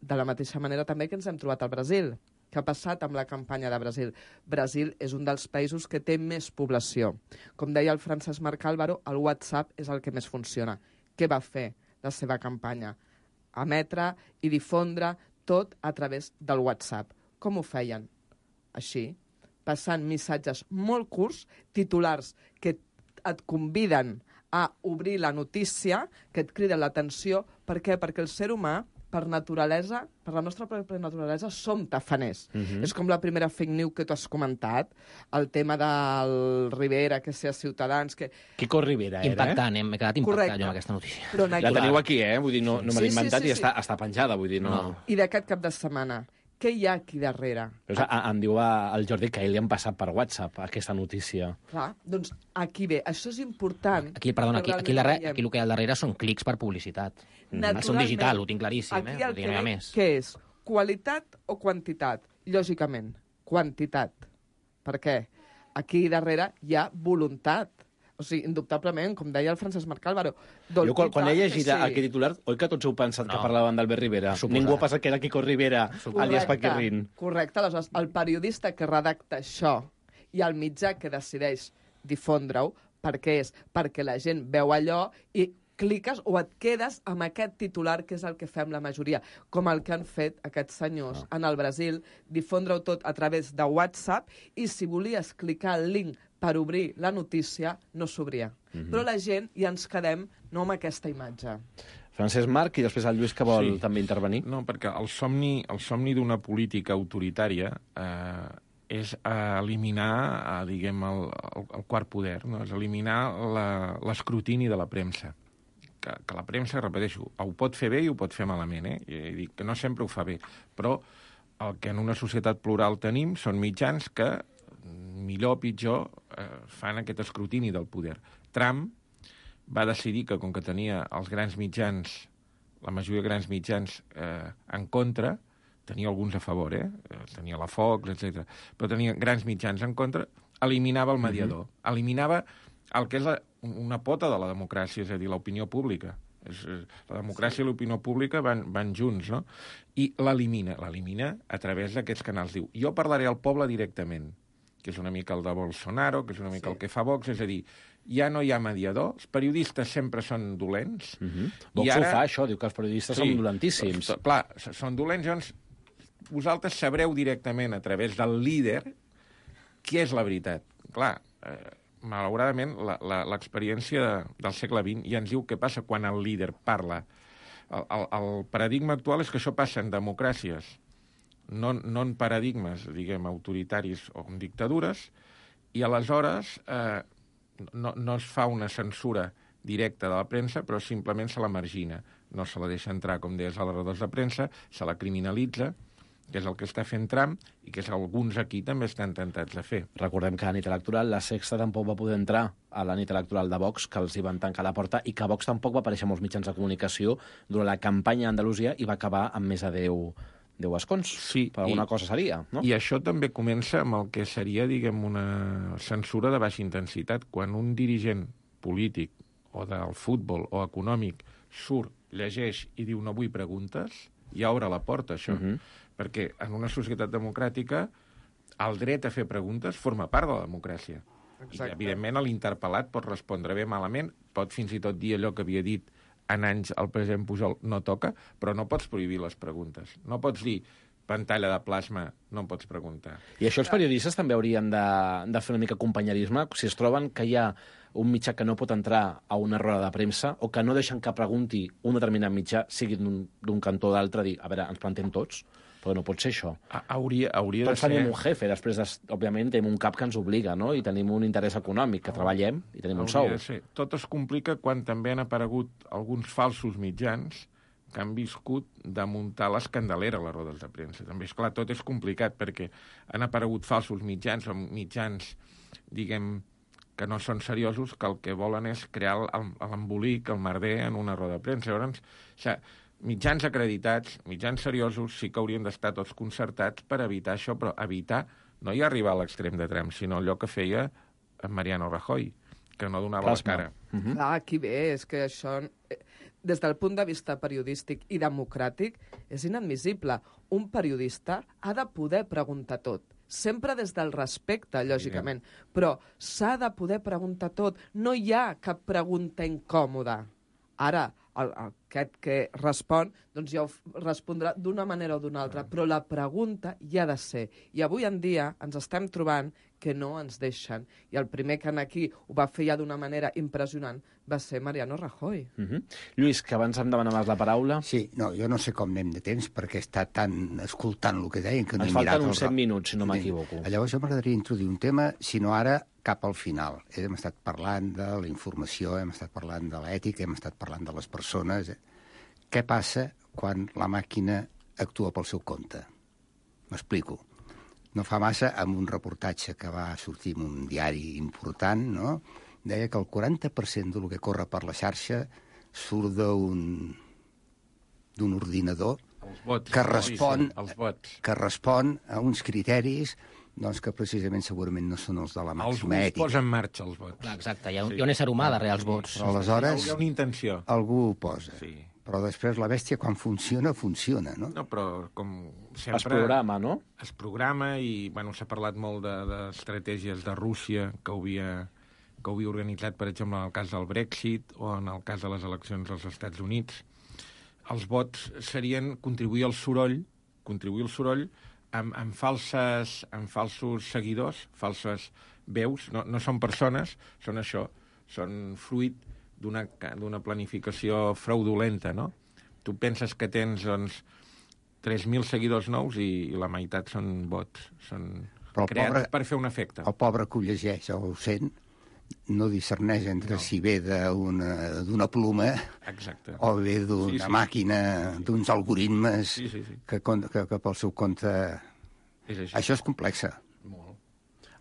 De la mateixa manera també que ens hem trobat al Brasil. Què ha passat amb la campanya de Brasil? Brasil és un dels països que té més població. Com deia el Francesc Marc Álvaro, el WhatsApp és el que més funciona. Què va fer la seva campanya? Emetre i difondre tot a través del WhatsApp. Com ho feien? Així, passant missatges molt curts, titulars que et conviden a obrir la notícia, que et criden l'atenció. Per què? Perquè el ser humà, per naturalesa, per la nostra pròpia naturalesa, som tafaners. És com la primera fake news que tu has comentat, el tema del Rivera, que sea Ciutadans... Que... Quico Rivera era, Impactant, m'he quedat impactat jo amb aquesta notícia. La teniu aquí, Vull dir, no me l'he inventat i està penjada, vull dir, no... I d'aquest cap de setmana, què hi ha aquí darrere? Em diu el Jordi que ell li han passat per WhatsApp aquesta notícia. Clar, doncs aquí ve. Això és important. Aquí el que hi ha al darrere són clics per publicitat. Són digital, ho tinc claríssim. Aquí el que ve, què és? Qualitat o quantitat? Lògicament, quantitat. Per què? Aquí darrere hi ha voluntat. O sigui, indubtablement, com deia el Francesc Marc Álvaro. Jo, quan he llegit aquest titular, oi que tots heu pensat que parlaven d'Albert Rivera? Ningú ha pensat que era Quico Rivera, alias Paquirrin. Correcte, aleshores, el periodista que redacta això i el mitjà que decideix difondre-ho, per què és? Perquè la gent veu allò i cliques o et quedes amb aquest titular, que és el que fem la majoria, com el que han fet aquests senyors en el Brasil, difondre-ho tot a través de WhatsApp, i si volies clicar el link per obrir la notícia, no s'obria. Però la gent ja ens quedem no amb aquesta imatge. Francesc Marc i després el Lluís, que vol també intervenir. No, perquè el somni d'una política autoritària és eliminar, diguem, el quart poder, no? És eliminar l'escrutini de la premsa. Que la premsa, repeteixo, ho pot fer bé i ho pot fer malament, I dic que no sempre ho fa bé, però el que en una societat plural tenim són mitjans que, millor o pitjor, fan aquest escrutini del poder. Trump va decidir que, com que tenia els grans mitjans, la majoria de grans mitjans en contra, tenia alguns a favor, tenia la Fox, etc. Però tenia grans mitjans en contra, eliminava el mediador, eliminava el que és una pota de la democràcia, és a dir, l'opinió pública. La democràcia i l'opinió pública van junts, no? I l'elimina a través d'aquests canals. Diu, jo parlaré al poble directament, que és una mica el de Bolsonaro, que és una mica el que fa Vox, és a dir, ja no hi ha mediador, els periodistes sempre són dolents. Vox ho fa, això, diu que els periodistes són dolentíssims. Clar, són dolents, llavors vosaltres sabreu directament a través del líder què és la veritat. Clar, malauradament, l'experiència del segle XX ja ens diu què passa quan el líder parla. El paradigma actual és que això passa en democràcies, no en paradigmes, diguem, autoritaris o en dictadures, i aleshores no es fa una censura directa de la premsa, però simplement se la margina. No se la deixa entrar, com deies, a les rodes de premsa, se la criminalitza, que és el que està fent Trump i que alguns aquí també estan tentats de fer. Recordem que a la nit electoral la Sexta tampoc va poder entrar a la nit electoral de Vox, que els hi van tancar la porta, i que Vox tampoc va aparèixer en molts mitjans de comunicació durant la campanya a Andalusia i va acabar amb més de 10 escons. Sí, per alguna cosa seria, no? I això també comença amb el que seria, diguem, una censura de baixa intensitat. Quan un dirigent polític o del futbol o econòmic surt, llegeix i diu no vull preguntes, ja obre la porta, això. Perquè en una societat democràtica el dret a fer preguntes forma part de la democràcia. Exacte. I, evidentment, l'interpel·lat pot respondre bé, malament, pot fins i tot dir allò que havia dit en anys el president Pujol no toca, però no pots prohibir les preguntes. No pots dir pantalla de plasma, no em pots preguntar. I això els periodistes també haurien de fer una mica companyerisme, si es troben que hi ha un mitjà que no pot entrar a una roda de premsa o que no deixen que pregunti un determinat mitjà, sigui d'un cantó o d'altre, dir, a veure, ens plantem tots, però no pot ser això. Hauria de tots tenim un jefe, després, òbviament, tenim un cap que ens obliga, no? I tenim un interès econòmic, que treballem i tenim un sou. Tot es complica quan també han aparegut alguns falsos mitjans que han viscut de muntar l'escandelera a les rodes de premsa. També, esclar, tot és complicat, perquè han aparegut falsos mitjans o mitjans, diguem, que no són seriosos, que el que volen és crear l'embolic, el merder en una roda de premsa. Llavors, mitjans acreditats, mitjans seriosos, sí que haurien d'estar tots concertats per evitar això, però evitar no hi arribar a l'extrem de Trump, sinó allò que feia Mariano Rajoy, que no donava la cara. Clar, aquí ve, és que això, des del punt de vista periodístic i democràtic, és inadmissible. Un periodista ha de poder preguntar tot, sempre des del respecte, lògicament, però s'ha de poder preguntar tot. No hi ha cap pregunta incòmoda. Ara, aquest que respon, doncs ja ho respondrà d'una manera o d'una altra, però la pregunta hi ha de ser. I avui en dia ens estem trobant que no ens deixen. I el primer que aquí ho va fer ja d'una manera impressionant va ser Mariano Rajoy. Lluís, que abans em demanaves la paraula. Sí, no, jo no sé com anem de temps, perquè està tan escoltant el que deien que no he mirat... Ens falten uns 7 minuts, si no m'equivoco. Llavors jo m'agradaria introduir un tema, si no ara, cap al final. Hem estat parlant de la informació, hem estat parlant de l'ètica, hem estat parlant de les persones. Què passa quan la màquina actua pel seu compte? M'explico. No fa massa, amb un reportatge que va sortir en un diari important, no? Deia que el 40% del que corre per la xarxa surt d'un ordinador que respon a uns criteris doncs que precisament segurament no són els de la màxima Els ètica. posa en marxa, els vots. Clar, exacte, hi ha un ésser humà darrere els vots. Però aleshores... Hi ha una intenció. Algú ho posa. Sí. Però després la bèstia, quan funciona, no? No, però com sempre... Es programa, no? Es programa i, bueno, s'ha parlat molt d'estratègies de Rússia que ho havia organitzat, per exemple, en el cas del Brexit o en el cas de les eleccions als Estats Units. Els vots serien contribuir al soroll amb falsos seguidors, falses veus. No són persones, són això, són fruit d'una planificació fraudulenta, no? Tu penses que tens, doncs, 3.000 seguidors nous i la meitat són bots, són creats per fer un efecte. El pobre que ho llegeix o ho sent no discerneix entre si ve d'una pluma o ve d'una màquina, d'uns algoritmes que pel seu compte... Això és complex.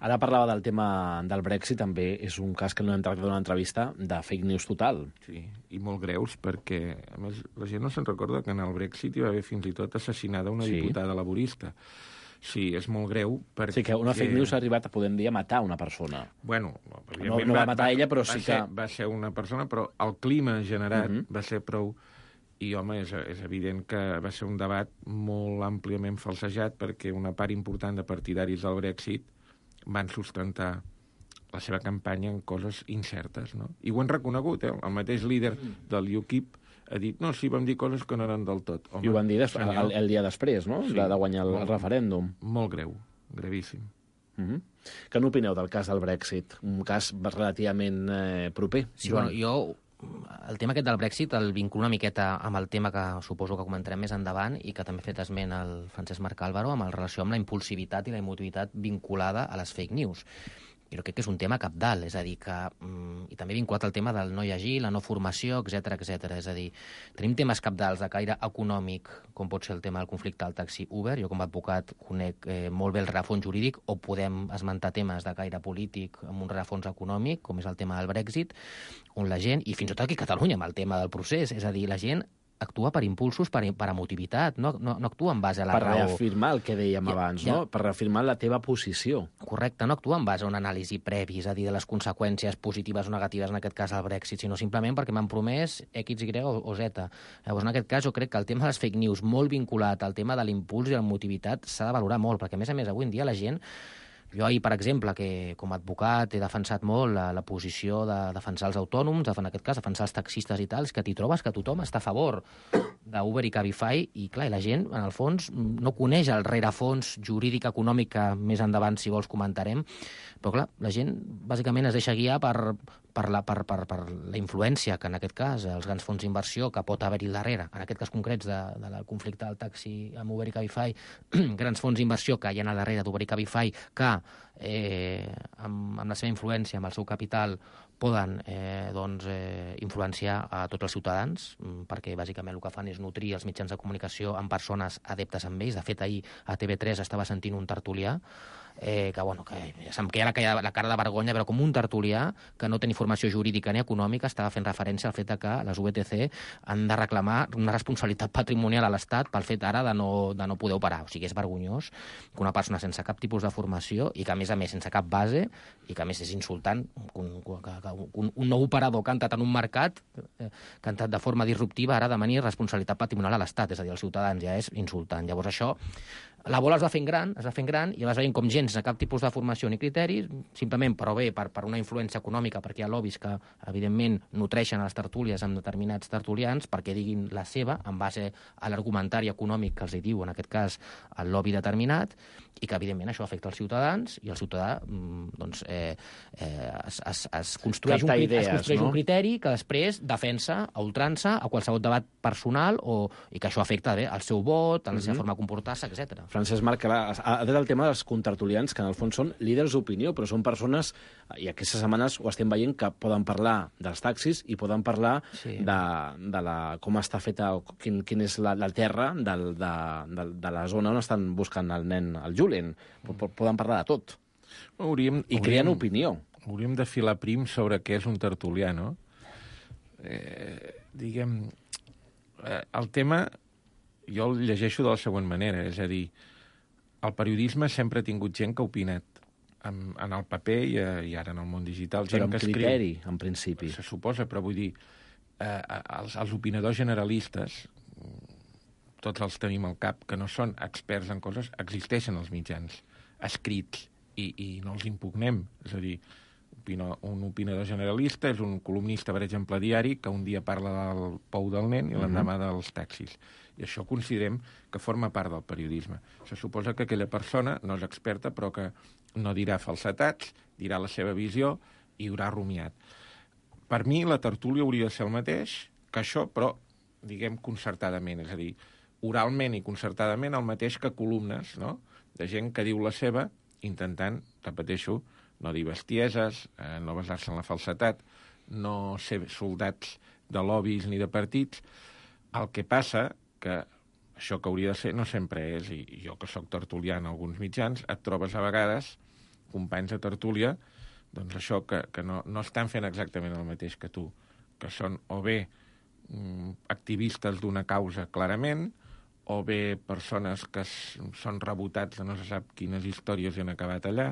Ara parlava del tema del Brexit, també és un cas que no hem tractat en una entrevista de fake news total. Sí, i molt greus, perquè, a més, la gent no se'n recorda que en el Brexit hi va haver fins i tot assassinada una diputada laborista. Sí, és molt greu, perquè... Sí, que una fake news ha arribat, podem dir, a matar una persona. Bueno, no va matar ella, però sí que... Va ser una persona, però el clima generat va ser prou... I, home, és evident que va ser un debat molt àmpliament falsejat perquè una part important de partidaris del Brexit van sustentar la seva campanya en coses incertes, no? I ho han reconegut, El mateix líder del UKIP ha dit, no, sí, vam dir coses que no eren del tot. Home, I ho van dir el dia després, no?, de guanyar el referèndum. Molt greu, gravíssim. Què n'opineu del cas del Brexit? Un cas relativament proper. Sí, bueno, jo el tema aquest del Brexit el vinculo una miqueta amb el tema que suposo que comentarem més endavant i que també ha fet esment el Francesc Marc Álvaro amb relació amb la impulsivitat i la emotivitat vinculada a les fake news. Jo crec que és un tema cabdal, és a dir, que... I també vinculat al tema del no llegir, la no formació, etc. És a dir, tenim temes cabdals de caire econòmic, com pot ser el tema del conflicte del taxi Uber. Jo, com a advocat, conec molt bé el rerefons jurídic, o podem esmentar temes de caire polític amb un rerefons econòmic, com és el tema del Brexit, on la gent, i fins i tot aquí a Catalunya, amb el tema del procés, és a dir, la gent actua per impulsos, per emotivitat, no actua en base a la raó. Per reafirmar el que dèiem abans, no? Per reafirmar la teva posició. Correcte, no actua en base a una anàlisi previ, és a dir, de les conseqüències positives o negatives, en aquest cas al Brexit, sinó simplement perquè m'han promès X, Y o Z. Llavors, en aquest cas, jo crec que el tema de les fake news, molt vinculat al tema de l'impuls i la emotivitat, s'ha de valorar molt, perquè, a més, avui en dia la gent... Jo ahir, per exemple, que com a advocat he defensat molt la posició de defensar els autònoms, en aquest cas, defensar els taxistes i tals, que t'hi trobes que tothom està a favor d'Uber i Cabify, i clar, la gent, en el fons, no coneix el rerefons jurídic econòmic que més endavant, si vols, comentarem, però clar, la gent bàsicament es deixa guiar per la influència que, en aquest cas, els grans fons d'inversió que pot haver-hi al darrere, en aquest cas concrets del conflicte del taxi amb Uber i Cabify, grans fons d'inversió que hi ha al darrere d'Uber i Cabify, que amb la seva influència, amb el seu capital, poden influenciar a tots els ciutadans, perquè bàsicament el que fan és nutrir els mitjans de comunicació amb persones adeptes amb ells. De fet, ahir a TV3 estava sentint un tertulià que se'm queia la cara de vergonya, però com un tertulià que no té ni formació jurídica ni econòmica estava fent referència al fet que les VTC han de reclamar una responsabilitat patrimonial a l'Estat pel fet ara de no poder operar. O sigui, és vergonyós que una persona sense cap tipus de formació i que, a més, sense cap base, i que, a més, és insultant que un nou operador que ha entrat en un mercat, que ha entrat de forma disruptiva, ara demani responsabilitat patrimonial a l'Estat, és a dir, als ciutadans, ja és insultant. Llavors, això... La bola es va fent gran i vas veient com gent sense cap tipus de formació ni criteris, simplement per una influència econòmica, perquè hi ha lobbies que, evidentment, nutreixen a les tertúlies amb determinats tertulians perquè diguin la seva en base a l'argumentari econòmic que els hi diu, en aquest cas, el lobby determinat, i que, evidentment, això afecta els ciutadans, i el ciutadà es construeix un criteri que després defensa a ultrança a qualsevol debat personal i que això afecta el seu vot, a la seva forma de comportar-se, etc. Francesc Marc ha tret el tema dels contertulians, que en el fons són líders d'opinió, però són persones, i aquestes setmanes ho estem veient, que poden parlar dels taxis i poden parlar de com està feta, quin és la terra de la zona on estan buscant el nen, el Julen. Poden parlar de tot. I creen opinió. Hauríem de filar prim sobre què és un tertulià, no? Diguem, el tema... Jo el llegeixo de la següent manera, és a dir, el periodisme sempre ha tingut gent que ha opinat en el paper i ara en el món digital. Però amb criteri, en principi. Se suposa, però vull dir, els opinadors generalistes, tots els tenim al cap, que no són experts en coses, existeixen als mitjans, escrits, i no els impugnem. És a dir, un opinador generalista és un columnista, per exemple, diari, que un dia parla del pou del nen i l'endemà dels taxis. I això considerem que forma part del periodisme. Se suposa que aquella persona no és experta, però que no dirà falsetats, dirà la seva visió i haurà rumiat. Per mi, la tertúlia hauria de ser el mateix que això, però, diguem, concertadament. És a dir, oralment i concertadament el mateix que columnes, no?, de gent que diu la seva, intentant, repeteixo, no dir bestieses, no basar-se en la falsetat, no ser soldats de lobbies ni de partits. El que passa que això que hauria de ser no sempre és, i jo que sóc tertulià en alguns mitjans, et trobes a vegades companys de tertúlia, doncs això que no estan fent exactament el mateix que tu, que són o bé activistes d'una causa clarament, o bé persones que són rebotats de no se sap quines històries han acabat allà.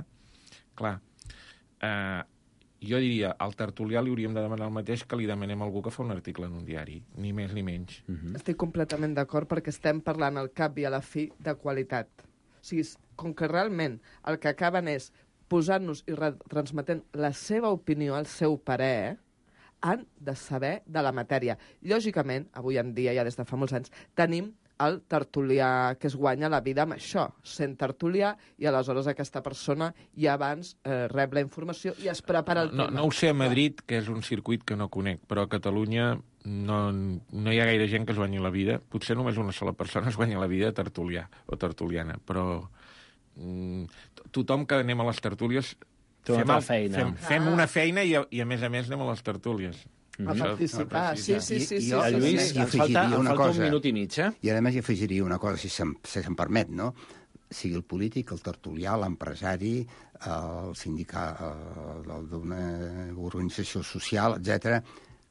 Clar, jo diria, al tertulià li hauríem de demanar el mateix que li demanem a algú que fa un article en un diari, ni més ni menys. Estic completament d'acord perquè estem parlant al cap i a la fi de qualitat. O sigui, com que realment el que acaben és posant-nos i retransmetent la seva opinió, el seu parer, han de saber de la matèria. Lògicament, avui en dia, ja des de fa molts anys, tenim el tertulià que es guanya la vida amb això, sent tertulià, i aleshores aquesta persona ja abans rep la informació i es prepara el tema. No ho sé a Madrid, que és un circuit que no conec, però a Catalunya no hi ha gaire gent que es guanyi la vida. Potser només una sola persona es guanya la vida tertulià o tertuliana, però tothom que anem a les tertúlies fem una feina i a més anem a les tertúlies. A participar, sí. Lluís, ens falta un minut i mig, I a més hi afegiria una cosa, si se'm permet, no? Sigui el polític, el tertulià, l'empresari, el sindicat d'una organització social, etc,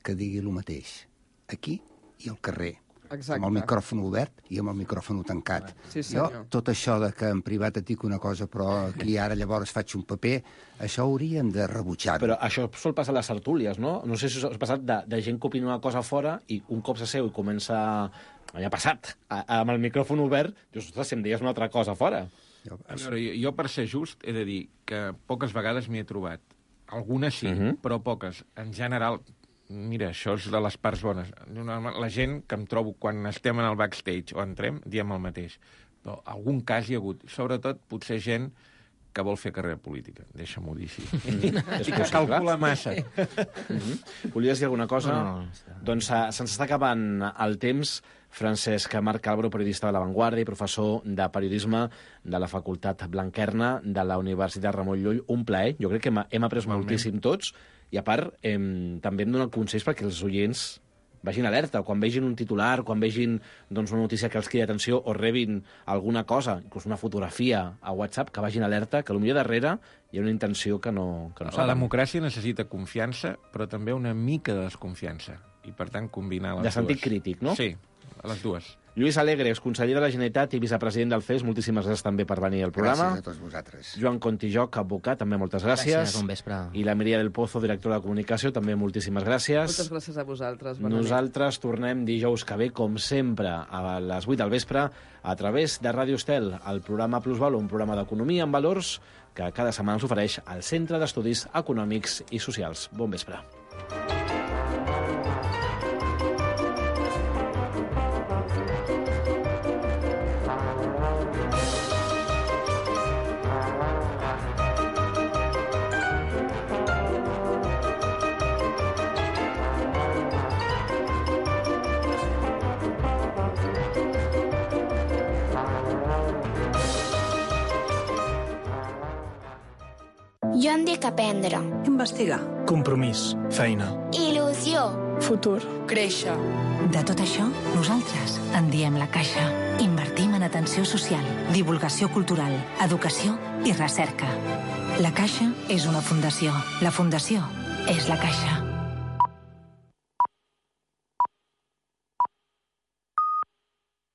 que digui el mateix, aquí i al carrer. Exacte. Amb el micròfon obert i amb el micròfon tancat. Sí, jo, tot això de que en privat et dic una cosa, però aquí ara llavors faig un paper, això hauríem de rebutjar-ho. Però això sol passar a les tertúlies, no? No sé si us ha passat de gent que opina una cosa fora i un cop s'asseu i comença... Ja ha passat, amb el micròfon obert, dius, ostres, si em deies una altra cosa fora. Jo, per ser just, he de dir que poques vegades m'hi he trobat. Algunes sí, però poques. En general... Mira, això és de les parts bones. La gent que em trobo quan estem en el backstage o entrem, diem el mateix. Però algun cas hi ha hagut. Sobretot, potser gent que vol fer carrera política. Deixa-m'ho dir així. I que calcula massa. Volies dir alguna cosa? No. Doncs se'ns està acabant el temps. Francesc Marc Álvaro, periodista de La Vanguardia i professor de periodisme de la Facultat Blanquerna de la Universitat Ramon Llull. Un plaer. Jo crec que hem après moltíssim tots. I a part, també hem donat consells perquè els oients vagin alerta. Quan vegin un titular, quan vegin una notícia que els crida atenció o rebin alguna cosa, inclús una fotografia a WhatsApp, que vagin alerta, que potser darrere hi ha una intenció que no La democràcia necessita confiança, però també una mica de desconfiança. I, per tant, combinar les dues. De sentit crític, no? Sí, a les dues. Lluís Alegres, conseller de la Generalitat i vicepresident del CES, moltíssimes gràcies també per venir al programa. Gràcies a tots vosaltres. Joan Contijoc, advocat, també moltes gràcies. Gràcies, bon vespre. I la Mireia del Pozo, directora de comunicació, també moltíssimes gràcies. Moltes gràcies a vosaltres. Nosaltres tornem dijous que ve, com sempre, a les 8 del vespre, a través de Ràdio Estel, el programa Plusvalor, un programa d'economia amb valors que cada setmana ens ofereix al Centre d'Estudis Econòmics i Socials. Bon vespre. Jo en dic aprendre. Investigar. Compromís. Feina. Il·lusió. Futur. Créixer. De tot això, nosaltres en diem La Caixa. Invertim en atenció social, divulgació cultural, educació i recerca. La Caixa és una fundació. La fundació és La Caixa.